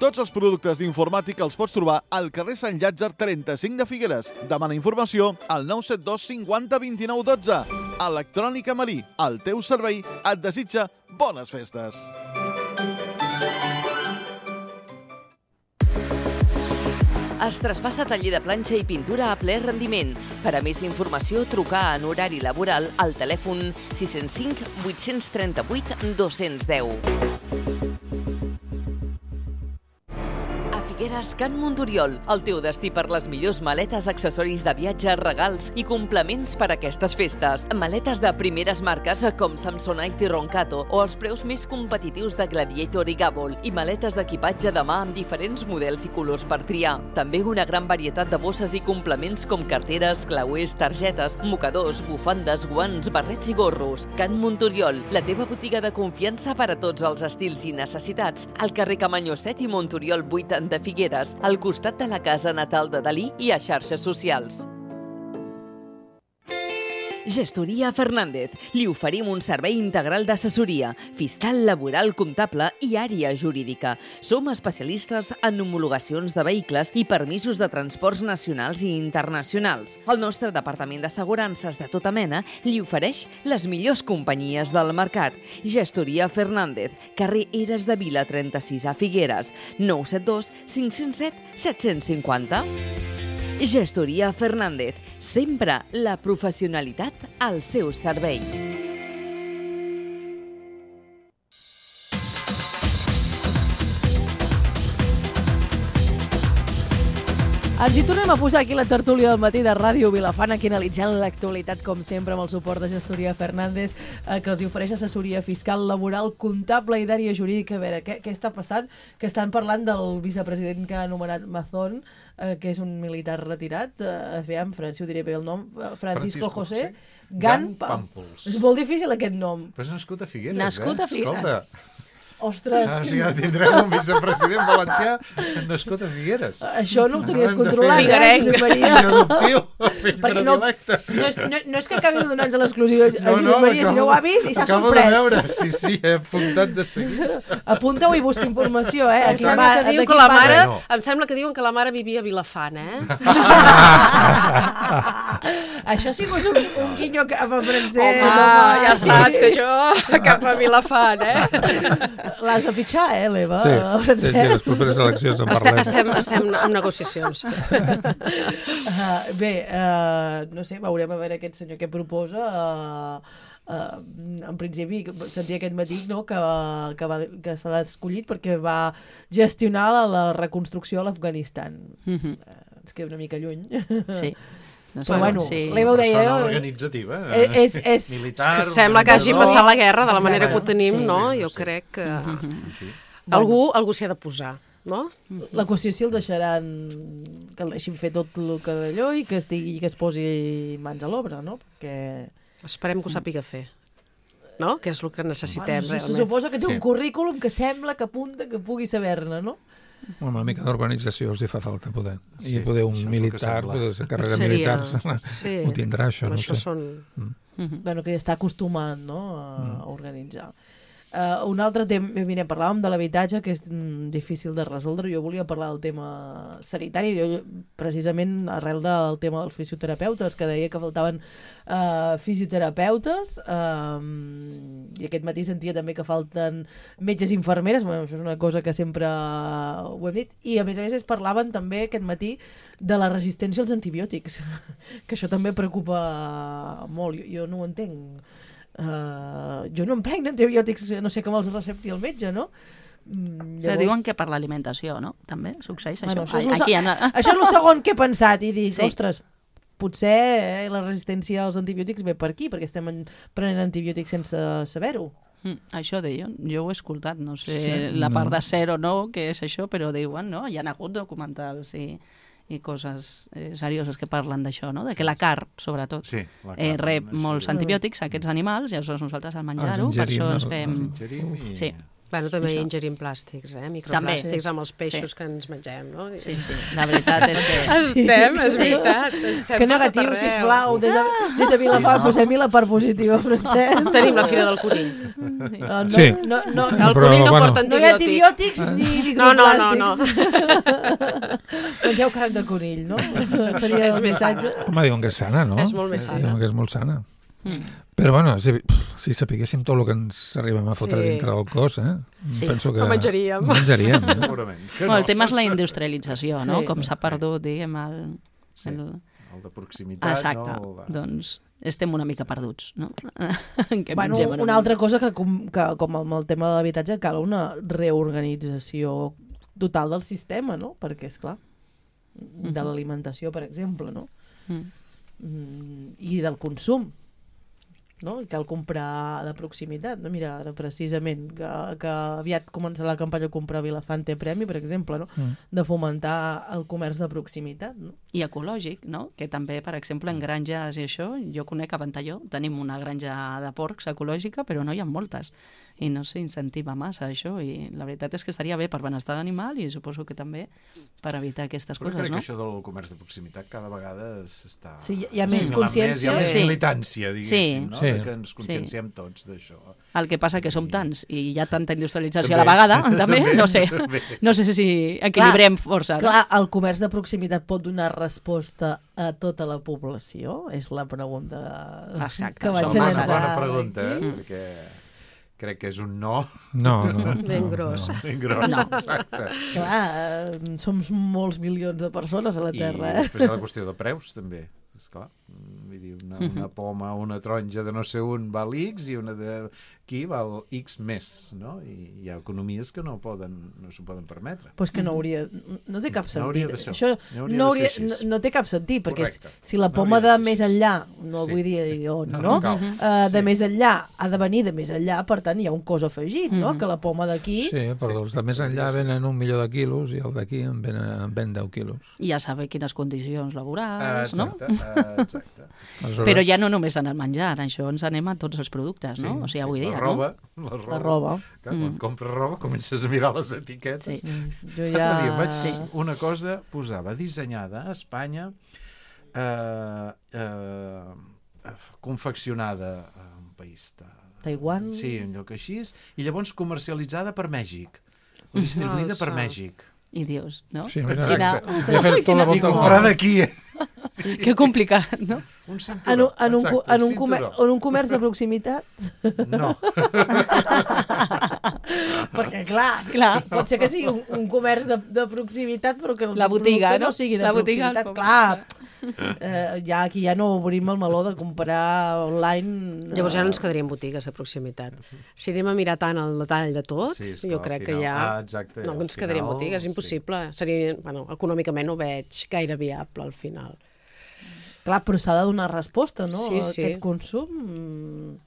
Tots els productes d'informàtica els pots trobar al carrer Sant Llàtzer trenta-cinc de Figueres. Demana informació al nou set dos cinquanta vint-i-nou dotze. Electrònica Malí, el teu servei, et desitja bones festes. Es traspassa taller de planxa i pintura a ple rendiment. Per a més informació, trucar en horari laboral al telèfon sis zero cinc, vuit tres vuit, dos cents deu. A Figueres Gas Can Montoriol, el teu destí per les millors maletes, accessoris de viatge, regals i complements per a aquestes festes. Maletes de primeres marques com Samsonite i Roncato o els preus més competitius de Gladiator i Gabol i maletes d'equipatge de mà amb diferents models i colors per triar. També una gran varietat de bosses i complements com carteres, clauers, targetes, mocadors, bufandes, guants, barrets i gorros. Can Montoriol, la teva botiga de confiança per a tots els estils i necessitats, al carrer Camanyó set i Montoriol vuit de Figueres, al costat de la casa natal de Dalí i a xarxes socials. Gestoria Fernández. Li oferim un servei integral d'assessoria, fiscal, laboral, comptable i àrea jurídica. Som especialistes en homologacions de vehicles i permisos de transports nacionals i internacionals. El nostre departament d'assegurances de tota mena li ofereix les millors companyies del mercat. Gestoria Fernández, carrer Eres de Vila trenta-sis a Figueres, nou set dos cinc zero set set cinquanta. Gestoria Fernández, sempre la professionalitat al seu servei. Ens hi tornem a posar aquí la tertúlia del matí de Ràdio Vilafant, aquí analitzant l'actualitat, com sempre, amb el suport de Gestoria Fernández, eh, que els hi ofereix assessoria fiscal, laboral, comptable i d'àrea jurídica. A veure, què, què està passant? Que estan parlant del vicepresident que ha anomenat Mazón, eh, que és un militar retirat, eh, aviam, si ho diré bé el nom, Francisco, Francisco José Gan Pàmpols. És molt difícil aquest nom. Però és nascut a Figueres, nascut eh? a Figueres. Escolta. Ostres. Ah, o sigui, tindrem un vicepresident valencià nascut a Figueres. Això no ho tenies controlat, eh, Figuerenc. Maria? Fill adoptiu, fill Perquè no, predilecte. no, és, no, no és que acabi de donar-nos l'exclusiva a No, no, Maria, si no ho ha vist i s'ha acabo sorprès. de veure, sí, sí, he apuntat de seguit. Apunta-ho i busca informació, eh? Em Aquí sembla, va- que diu d'aquí que la parla. mare, No. em sembla que diuen que la mare vivia a Vilafant, eh? Això ha sigut un, un guinyo cap a Francesc. Home, ja saps que jo cap a Vilafant, eh? L'has de fitxar, eh, l'Eva? Sí, sí, sí, les properes eleccions en Estem, parlem. estem, estem en negociacions. Uh, bé, uh, no sé, veurem a veure aquest senyor què proposa. Uh, uh, en principi, sentia aquest matí, no?, que, que, va, que se l'ha escollit perquè va gestionar la, la reconstrucció a l'Afganistan. Mhm. Uh, ens queda una mica lluny. Sí. No sé, Però bueno, sí. l'Eva ho deia... Persona organitzativa. Eh, és, és, Militar. És que sembla que hagi organitzador. passat la guerra de la manera que ho Sí. tenim, Sí. no? Sí, Jo sí. crec que Sí. algú, algú s'hi ha de posar, no? La qüestió és si el deixaran, que el deixin fer tot el que d'allò i que, estigui, que es posi mans a l'obra, no? Perquè... Esperem que ho sàpiga fer, no? Que és el que necessitem, Bueno, se realment. suposa que té Sí. un currículum que sembla que apunta que pugui saber-ne, no? Una mica d'organització els hi fa falta poder. I Sí, poder un això és el que militar, sembla. poder ser carrera Seria- militar, sí. ho tindrà això, no Això sé. són... Bueno, que ja està acostumat, no?, a organitzar. Uh, un altre tema, mira, parlàvem de l'habitatge, que és mm, difícil de resoldre. Jo volia parlar del tema sanitari, jo, precisament arrel del tema dels fisioterapeutes, que deia que faltaven uh, fisioterapeutes, uh, i aquest matí sentia també que falten metges i infermeres. Bueno, això és una cosa que sempre ho hem dit, i a més a més es parlaven també aquest matí de la resistència als antibiòtics, que això també preocupa molt. Jo, jo no ho entenc. Uh, jo no em prenc antibiòtics, no sé com els recepti el metge, no? Mm, Però diuen que per l'alimentació, no? També succeeix Bueno, això. això, és el, Aquí se- en... això és el segon que he pensat i dic, Sí. ostres, potser eh, la resistència als antibiòtics ve per aquí, perquè estem en, prenent antibiòtics sense saber-ho. Mm, això deien, jo ho he escoltat, no sé Sí, la no. part de ser o no, què és això, però diuen, no? Hi ha hagut documentals i, i coses eh, serioses que parlen d'això, no? De que la carn, sobretot, Sí, la eh, carn, rep això molts ja- antibiòtics, aquests animals, i aleshores nosaltres al menjar-ho, Els per això ingerim, ens no? fem... Els ingerim i... Sí. Bueno, també Això. ingerim plàstics, eh? Microplàstics També. amb els peixos Sí. que ens mengem, no? Sí, sí, la veritat és que... Estem, és Sí. veritat. Estem Que per negatiu, tot arreu. sisplau, des de, des de Vilafant, Sí, no? posem-hi la part positiva, Francesc. Tenim la fira del conill. No, no, Sí. no, no, El Però, conill no bueno. porta no hi ha antibiòtic. antibiòtics ni No, no, no, no. microplàstics. Mengeu carn de conill, no? Seria És el més missatge. Home, diuen que és sana, no? És molt més Sí, sana. diuen que és molt sana. Mm. Però bueno, si, si sapiguéssim tot el que ens arribem a fotre Sí. dintre del cos, eh? Sí. Penso que... No menjaríem. No menjaríem, eh? Segurament. Que Bueno, no. el tema és la industrialització, no? Sí. Com s'ha perdut, diguem, el... Sí. el... El de proximitat, Exacte, no? El de... doncs estem una mica perduts, no? Que Bueno, mengem en una un- altra cosa que com, que com amb el tema de l'habitatge cal una reorganització total del sistema, no? Perquè, és clar, de l'alimentació, per exemple, no? Mm. Mm, i del consum, no? I cal comprar de proximitat, no? Mira, ara precisament que, que aviat començarà la campanya Comprar Vilafant té premi, per exemple, no? Mm. De fomentar el comerç de proximitat, no? I ecològic, no? Que també, per exemple, en granges i això, jo conec a Ventalló, tenim una granja de porcs ecològica, però no hi ha moltes. I no s'incentiva massa això, i la veritat és que estaria bé per benestar l'animal i suposo que també per evitar aquestes Però coses, crec no? que això del comerç de proximitat cada vegada s'està... Sí, hi ha més assimilant consciència. Més, hi ha més Sí. militància, diguéssim, Sí. no? Sí. De que ens conscienciem tots d'això. El que passa que som tants i hi ha tanta industrialització També. a la vegada, també, També, no sé, també. no sé si equilibrem força. No? Clar, el comerç de proximitat pot donar resposta a tota la població? És la pregunta Exacte, que vaig som a masses. llançar. Bona pregunta, eh? Mm. Perquè crec que és un no No, no. Ben no, gros. No. ben gros, No. exacte. Clar, eh, som molts milions de persones a la I Terra, eh? després hi ha la qüestió de preus, també. Esclar, vull dir, una, una poma, una taronja de no sé on val X i una d'aquí val X més, no? I hi ha economies que no poden, no s'ho poden permetre. Pues que no hauria... No té cap No sentit. hauria de ser. Això No hauria no, de hauria, ser no, així. no té cap sentit, perquè Correcte. si la No poma hauria de de ser més així. enllà, no Sí. vull dir on, No, no? no cal. Uh, de Sí. més enllà ha de venir de més enllà, per tant hi ha un cost afegit, no? Que la poma d'aquí... Sí, però els de més enllà venen un milió de quilos i el d'aquí en ven, en ven deu quilos. I ja saber quines condicions Ah, laborals, no? exacte, ah, exacte. Aleshores, Però ja no només en el menjar, això ens anem a tots els productes, no? O sigui, avui dia, la roba, no? la roba. La roba. Clar, quan Mm. compres roba comences a mirar les etiquetes. Sí. Jo L'altre ja... dia vaig Sí. una cosa, posava dissenyada a Espanya, eh, eh, confeccionada a un país de... Taiwan. Sí, un lloc així, i llavors comercialitzada per Mèxic, o distribuïda per Alça. Mèxic. I dius, no? Sí, mira, Xina, ja fes tota la I volta al comprar món. d'aquí, eh? que complicat, no? Un En cinturó. un, en, un, exacte, co- en, un un comer, cinturó. en un comerç de proximitat? No. Perquè, clar, Clar. pot ser que sigui un, un comerç de, de proximitat, però que el La botiga, producte no? no sigui de La botiga, proximitat. com- Clar, eh, ja aquí ja no obrim el meló de comprar online. eh, Llavors ja no ens quedaríem botigues de proximitat. Si anem a mirar tant el detall de tot, Sí, sí, esclar, jo al crec final- que ja... ah, exacte, no al ens quedaríem final, botigues, sí. impossible. Seria, bueno, econòmicament no ho veig gaire viable al final. Clar, però s'ha de donar resposta, no? Sí, a sí. aquest consum. Mm,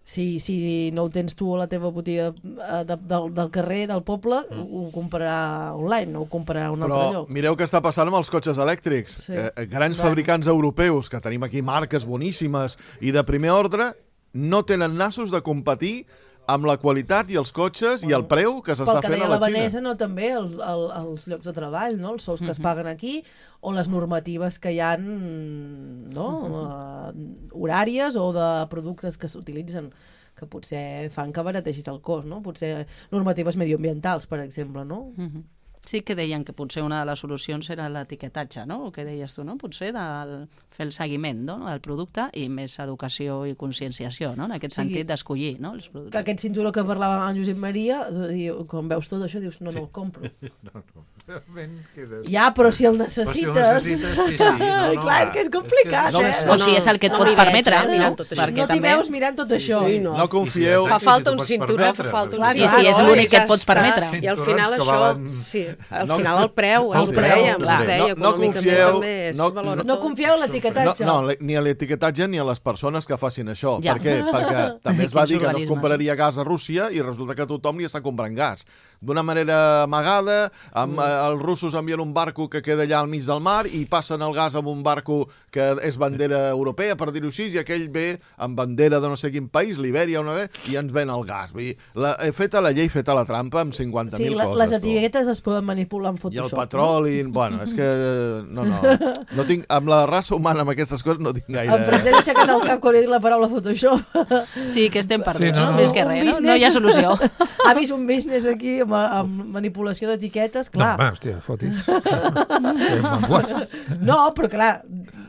Si, si no ho tens tu a la teva botiga eh, de, del, del carrer, del poble, mm. ho, ho comprarà online, no ho comprarà a un altre Però lloc. mireu què està passant amb els cotxes elèctrics. Sí. Eh, grans Bueno. fabricants europeus, que tenim aquí marques boníssimes i de primer ordre, no tenen nassos de competir amb la qualitat i els cotxes i el preu que Pel s'està que fent deia a la la Vanessa, Xina. no, també el, el, els llocs de treball, no? Els sous que es paguen aquí, o les normatives que hi ha, no? uh, horàries o de productes que s'utilitzen, que potser fan que barategis el cost, no? Potser normatives medioambientals, per exemple, no? Mhm. Sí que deien que potser una de les solucions era l'etiquetatge, no? El que deies tu, no? Potser del, fer el seguiment, no? Del producte i més educació i conscienciació, no? En aquest Sí. sentit d'escollir, no? Els Que productes. aquest cinturó que parlava en Josep Maria, de dir, quan veus tot això dius, no, no el compro. No, no. Realment quedes... Ja, però si el Però si necessites... el necessites, sí, sí. No, no, Clar, va. és que és complicat, no, eh? no, O sigui, és el que et no pots m'hi veig, permetre, eh, mirant tot això. perquè No t'hi també... veus mirant tot això. sí, no. No confieu... Fa Sí, falta si un t'ho pots cinturó, permetre, fa falta un perquè- Sí, cinturó. sí, és i l'únic que ja et pots està. permetre. I al Cinturons final que això... valen- Sí, al No- final el preu, El és el que preu, dèiem, clar. es deia, No- no econòmicament confieu, també es no- valora No tot. confieu en l'etiquetatge. No, no, ni a l'etiquetatge ni a les persones que facin això. Ja. Per què? Perquè també es va Quins dir que no es organismes. compraria gas a Rússia i resulta que tothom li està comprant gas. D'una manera amagada, amb, mm. eh, els russos envien un barco que queda allà al mig del mar i passen el gas amb un barco que és bandera europea, per dir-ho així, i aquell ve amb bandera de no sé quin país, l'Ibèria o no ve, i ens ven el gas. Vull dir, la, he feta la llei, feta la trampa amb cinquanta mil Sí, la, coses. les tu. etiquetes es poden manipular en I el Photoshop. petroli... Bueno, és que... No, no. no tinc, amb la raça humana, amb aquestes coses, no tinc No? gaire... En Francesc ha aixecat el cap quan he dit la paraula Photoshop. Sí, que estem perduts, Sí, no, no? no. Més que Un res, no? business- No hi ha solució. Ha vist un business aquí amb, amb manipulació d'etiquetes, No, clar. home, hòstia, fotis. Que manguat. No, però clar,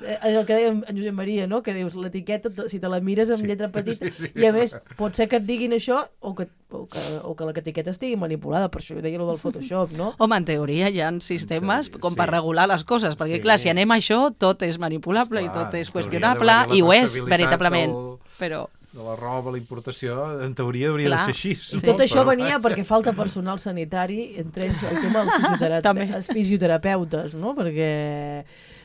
és el que deia en Josep Maria, no? Que dius, l'etiqueta, si te la mires amb lletra petita, i a més, pot ser que et diguin això o que, o que, o que l'etiqueta estigui manipulada, per això jo deia allò del Photoshop, no? Home, en teoria hi ha sistemes teoria, com sí. per regular les coses, perquè Sí. clar, si anem a això, tot és manipulable i Esclar, tot és hauria qüestionable, d'haver-hi la i ho és, traçabilitat veritablement. del- Però de la roba, la importació, en teoria hauria Clar. de ser així. I no? tot això Però, venia vaja. perquè falta personal sanitari, entre ells el tema dels fisioterape També. els fisioterapeutes, no? Perquè,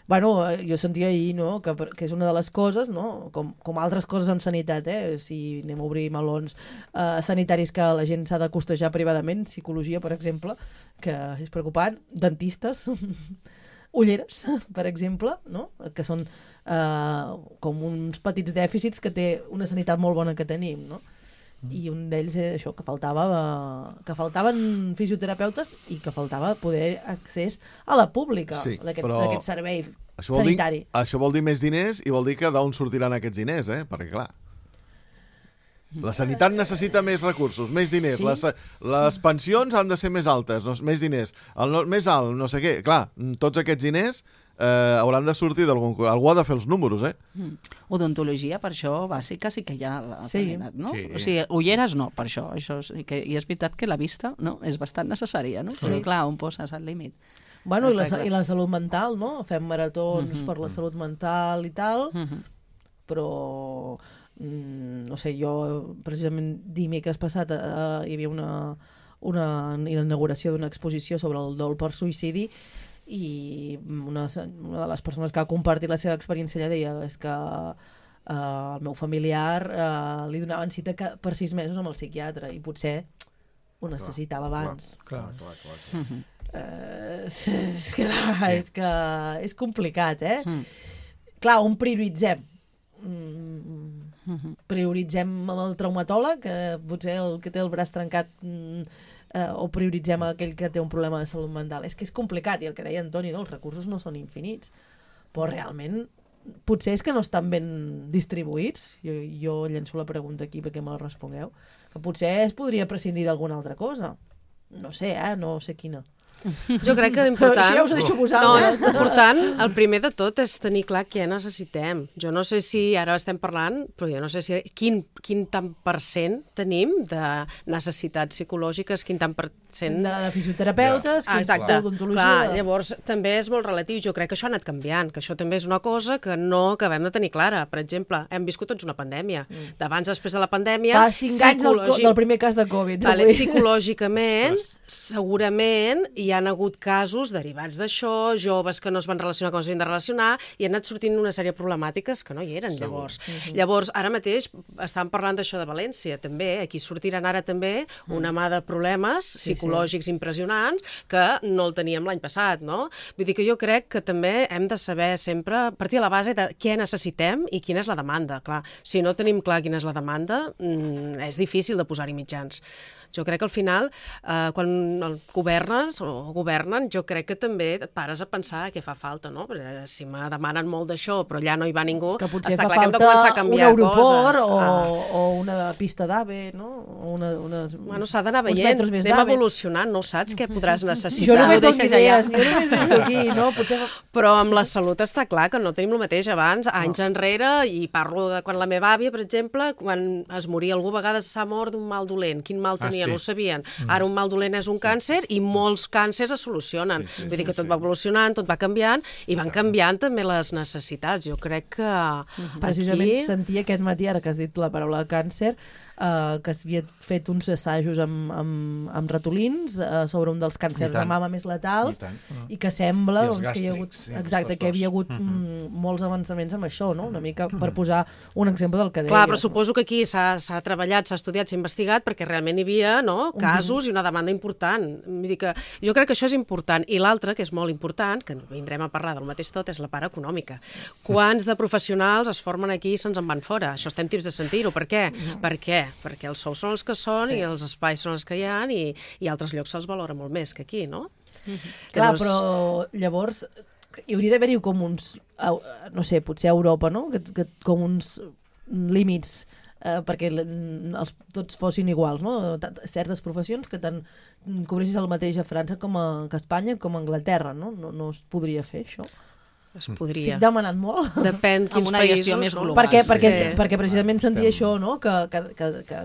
bueno, jo sentia ahir, no?, que, que és una de les coses, no?, com, com altres coses en sanitat, eh? Si anem a obrir melons eh, sanitaris que la gent s'ha de costejar privadament, psicologia, per exemple, que és preocupant, dentistes, ulleres, per exemple, no?, que són eh, com uns petits dèficits que té una sanitat molt bona que tenim, no? I un d'ells és això, que faltava eh, que faltaven fisioterapeutes i que faltava poder accés a la pública Sí, d'aquest però d'aquest servei Això vol, dir, sanitari. això vol dir més diners i vol dir que d'on sortiran aquests diners, eh? Perquè, clar, la sanitat necessita més recursos, més diners. Sí. Les, les pensions han de ser més altes, no, més diners. El no, més alt, no sé què. Clar, tots aquests diners eh, hauran de sortir d'algun... Algú ha de fer els números, eh? Mm. Odontologia, per això, bàsica, sí que hi ha la Sí. sanitat, no? Sí. O sigui, ulleres no, per això. això sí que, I és veritat que la vista no, és bastant necessària, no? Sí. Però, clar, on poses el límit? Bueno, i la, Està clar. i la salut mental, no? Fem maratons Mhm. per la salut mental i tal, Mhm. però mm, no sé, jo precisament dimecres passat eh, hi havia una, una inauguració d'una exposició sobre el dol per suïcidi i una, una de les persones que ha compartit la seva experiència ella deia és que eh, el meu familiar eh, li donaven cita ca- per sis mesos amb el psiquiatre i potser ho necessitava abans. Clar. Clar, clar, clar. Mhm. Eh, és, que, sí. és que és complicat, eh? Mm. Clar, on prioritzem? Mm, Mhm. prioritzem amb el traumatòleg, que potser el que té el braç trencat, mm, eh, o prioritzem aquell que té un problema de salut mental. És que és complicat, i el que deia Antoni, no, els recursos no són infinits, però realment potser és que no estan ben distribuïts. Jo, jo llenço la pregunta aquí perquè me la respongueu, que potser es podria prescindir d'alguna altra cosa. No sé, eh? No sé quina. Jo crec que l'important... Això ja us ho deixo No, vosaltres. l'important, el primer de tot, és tenir clar què necessitem. Jo no sé si, ara estem parlant, però jo no sé si quin, quin tant per cent tenim de necessitats psicològiques, quin tant per cent... De, de fisioterapeutes, Ah, exacte. d'odontologia... Clar, llavors també és molt relatiu. Jo crec que això ha anat canviant, que això també és una cosa que no acabem de tenir clara. Per exemple, hem viscut tots una pandèmia. D'abans, després de la pandèmia... Fa cinc anys del, co- psicològic- del primer cas de Covid. Vale, avui. psicològicament, segurament hi han hagut casos derivats d'això, joves que no es van relacionar com es havien de relacionar, i han anat sortint una sèrie de problemàtiques que no hi eren, llavors. Llavors, ara mateix estàvem parlant d'això de València, també. Aquí sortiran ara també una mà de problemes psicològics impressionants que no el teníem l'any passat, no? Vull dir que jo crec que també hem de saber sempre partir a la base de què necessitem i quina és la demanda. Clar, si no tenim clar quina és la demanda, mm, és difícil de posar-hi mitjans. Jo crec que al final, eh, quan el governes o governen, jo crec que també et pares a pensar què fa falta, no? Perquè si me demanen molt d'això, però allà no hi va ningú, Que potser està fa clar que hem de falta començar a un canviar aeroport coses. o, Ah. o una pista d'AVE, no? O Una, una, Bueno, s'ha d'anar uns veient, metres més anem d'AVE. evolucionant, no saps què podràs necessitar. Jo només ho dono deixes allà. idees, jo només deixo aquí, no? Potser... Però amb la salut està clar que no tenim el mateix abans, anys enrere, i parlo de quan la meva àvia, per exemple, quan es moria algú, a vegades s'ha mort d'un mal dolent. Quin mal Ah, tenia? sí. No ho sabien. Ara un mal dolent és un càncer i molts càncers es solucionen. Sí, sí, Vull dir sí, que tot sí. va evolucionant, tot va canviant, i van canviant també les necessitats. Jo crec que Precisament aquí... sentia aquest matí, ara que has dit la paraula càncer, eh, que s'havia fet uns assajos amb, amb, amb ratolins eh, sobre un dels càncers I tant. de mama més letals, I tant. i que sembla I els doncs, que hi ha hagut, gàstrics, sí, exacte, els que hi havia pastors. hagut mm, molts avançaments amb això, no? Una mica per posar un exemple del que deies. Clar, però no? suposo que aquí s'ha s'ha treballat, s'ha estudiat, s'ha investigat, perquè realment hi havia no, casos i una demanda important. Vull dir que jo crec que això és important. I l'altre, que és molt important, que vindrem a parlar del mateix tot, és la part econòmica. Quants de professionals es formen aquí i se'ns en van fora? Això estem tips de sentir-ho. Per què? Per què? Perquè els sous són els que són Sí. i els espais són els que hi ha i, i altres llocs se'ls valora molt més que aquí, no? Clar, Llavors- però llavors hi hauria d'haver-hi com uns, au- no sé, potser a Europa, no? Que, que, com uns límits eh, perquè l- els, tots fossin iguals, no? T- Certes professions que tant cobressis el mateix a França com a, que a Espanya com a Anglaterra, no? No, no es podria fer això? es podria. Estic demanant molt. Depèn quins una països, gestió més no? global. Perquè, perquè, Sí. perquè precisament sentia això, no? Que, que, que, que,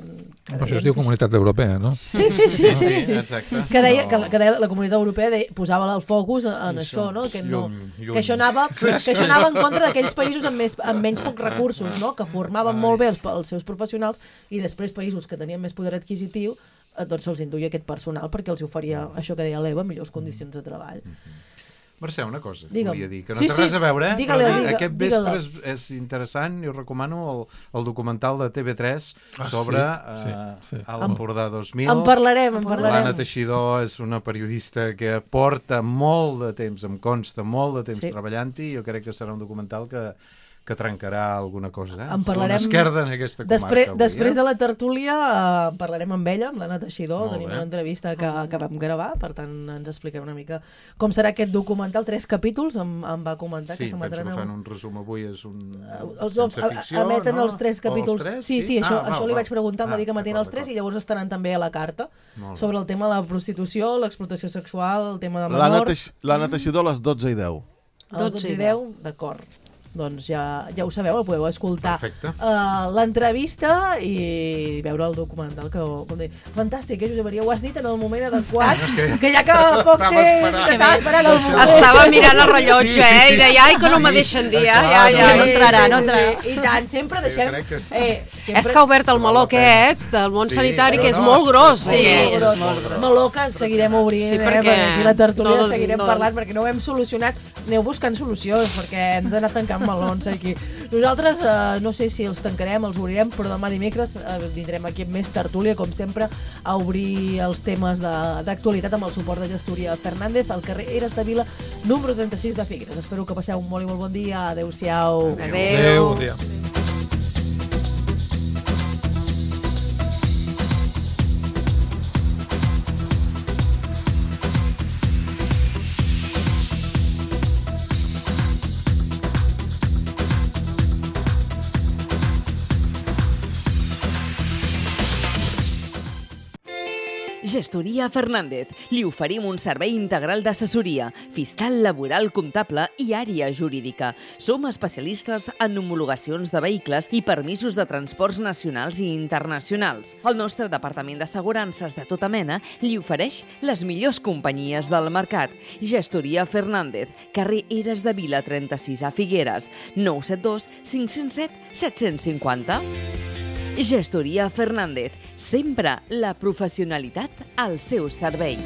que Però això es diu Comunitat Europea, no? Sí, sí, sí. sí. Sí, exacte. Que deia, No. que, que deia la Comunitat Europea deia, posava el focus en, en Això, això, no? Que, no, llum, llum. que, això anava, que això anava en contra d'aquells països amb, més, amb menys pocs recursos, no? Que formaven molt bé els, els seus professionals i després països que tenien més poder adquisitiu eh, doncs se'ls induïa aquest personal perquè els oferia això que deia l'Eva, millors condicions de treball. Mercè, una cosa que Digue'm. volia dir, que no Sí, té sí, res a veure, eh? digue-la, Però digue- aquest digue-la. vespre és, és interessant, jo recomano el, el documental de T V tres Ah, sobre sí, sí, eh, sí. a l'Empordà dos mil. En parlarem, en L'Anna parlarem. Teixidor és una periodista que porta molt de temps, em consta, molt de temps Sí. treballant-hi, jo crec que serà un documental que, que trencarà alguna cosa, eh? En parlarem Una esquerda en aquesta comarca. Després, avui, després eh? de la tertúlia eh, parlarem amb ella, amb l'Anna Teixidor, Molt tenim bé. una entrevista que, que vam gravar, per tant ens explicarà una mica com serà aquest documental, tres capítols, em, em va comentar Sí, que penso s'emetran que fan en- un resum avui, és un els, sense a- ficció, emeten no? els tres O capítols. tres, sí, sí, això, Ah, això val, li val. vaig preguntar, em va Ah, dir que emetien d'acord, els tres i d'acord. llavors estaran també a la carta Molt bé. sobre el tema de la prostitució, l'explotació sexual, el tema de L'Anna menors. Teix- l'Anna Teixidor a les dotze i deu. A les dotze i deu, d'acord. Doncs ja, ja ho sabeu, el podeu escoltar Perfecte. uh, l'entrevista i veure el documental que, com dir, fantàstic, eh, Josep Maria, ho has dit en el moment adequat, No, és que- que ja que poc Estava temps, esperant. que estava esperant el moment. Estava mirant el rellotge, Sí. eh? I deia, ai, que no me deixen dir, ja, ja, ja. no entrarà, no entrarà. I tant, sempre Jo deixem... crec que sí. Eh, sempre... És que ha obert el meló Val la pena. aquest del món Sí, sanitari, però que és no, molt és- gros. Sí, aquest. és molt gros. Meló que en seguirem obrint, Sí, eh, perquè perquè aquí la tertúlia no- seguirem no- parlant, perquè no ho hem solucionat. Aneu buscant solucions, perquè hem d'anar tancant melons aquí. Nosaltres, eh, no sé si els tancarem, els obrirem, però demà dimecres eh, vindrem aquí amb més tertúlia, com sempre, a obrir els temes de- d'actualitat amb el suport de Gestoria Fernández al carrer Eres de Vila, número trenta-sis de Figueres. Espero que passeu un molt i molt bon dia. Adéu-siau. Adéu. Adéu, bon dia. Gestoria Fernández. Li oferim un servei integral d'assessoria, fiscal, laboral, comptable i àrea jurídica. Som especialistes en homologacions de vehicles i permisos de transports nacionals i internacionals. El nostre departament d'assegurances de tota mena li ofereix les millors companyies del mercat. Gestoria Fernández, carrer Eres de Vila trenta-sis a Figueres, nou set dos cinc zero set set cinc zero. Gestoria Fernández, sempre la professionalitat al seu servei.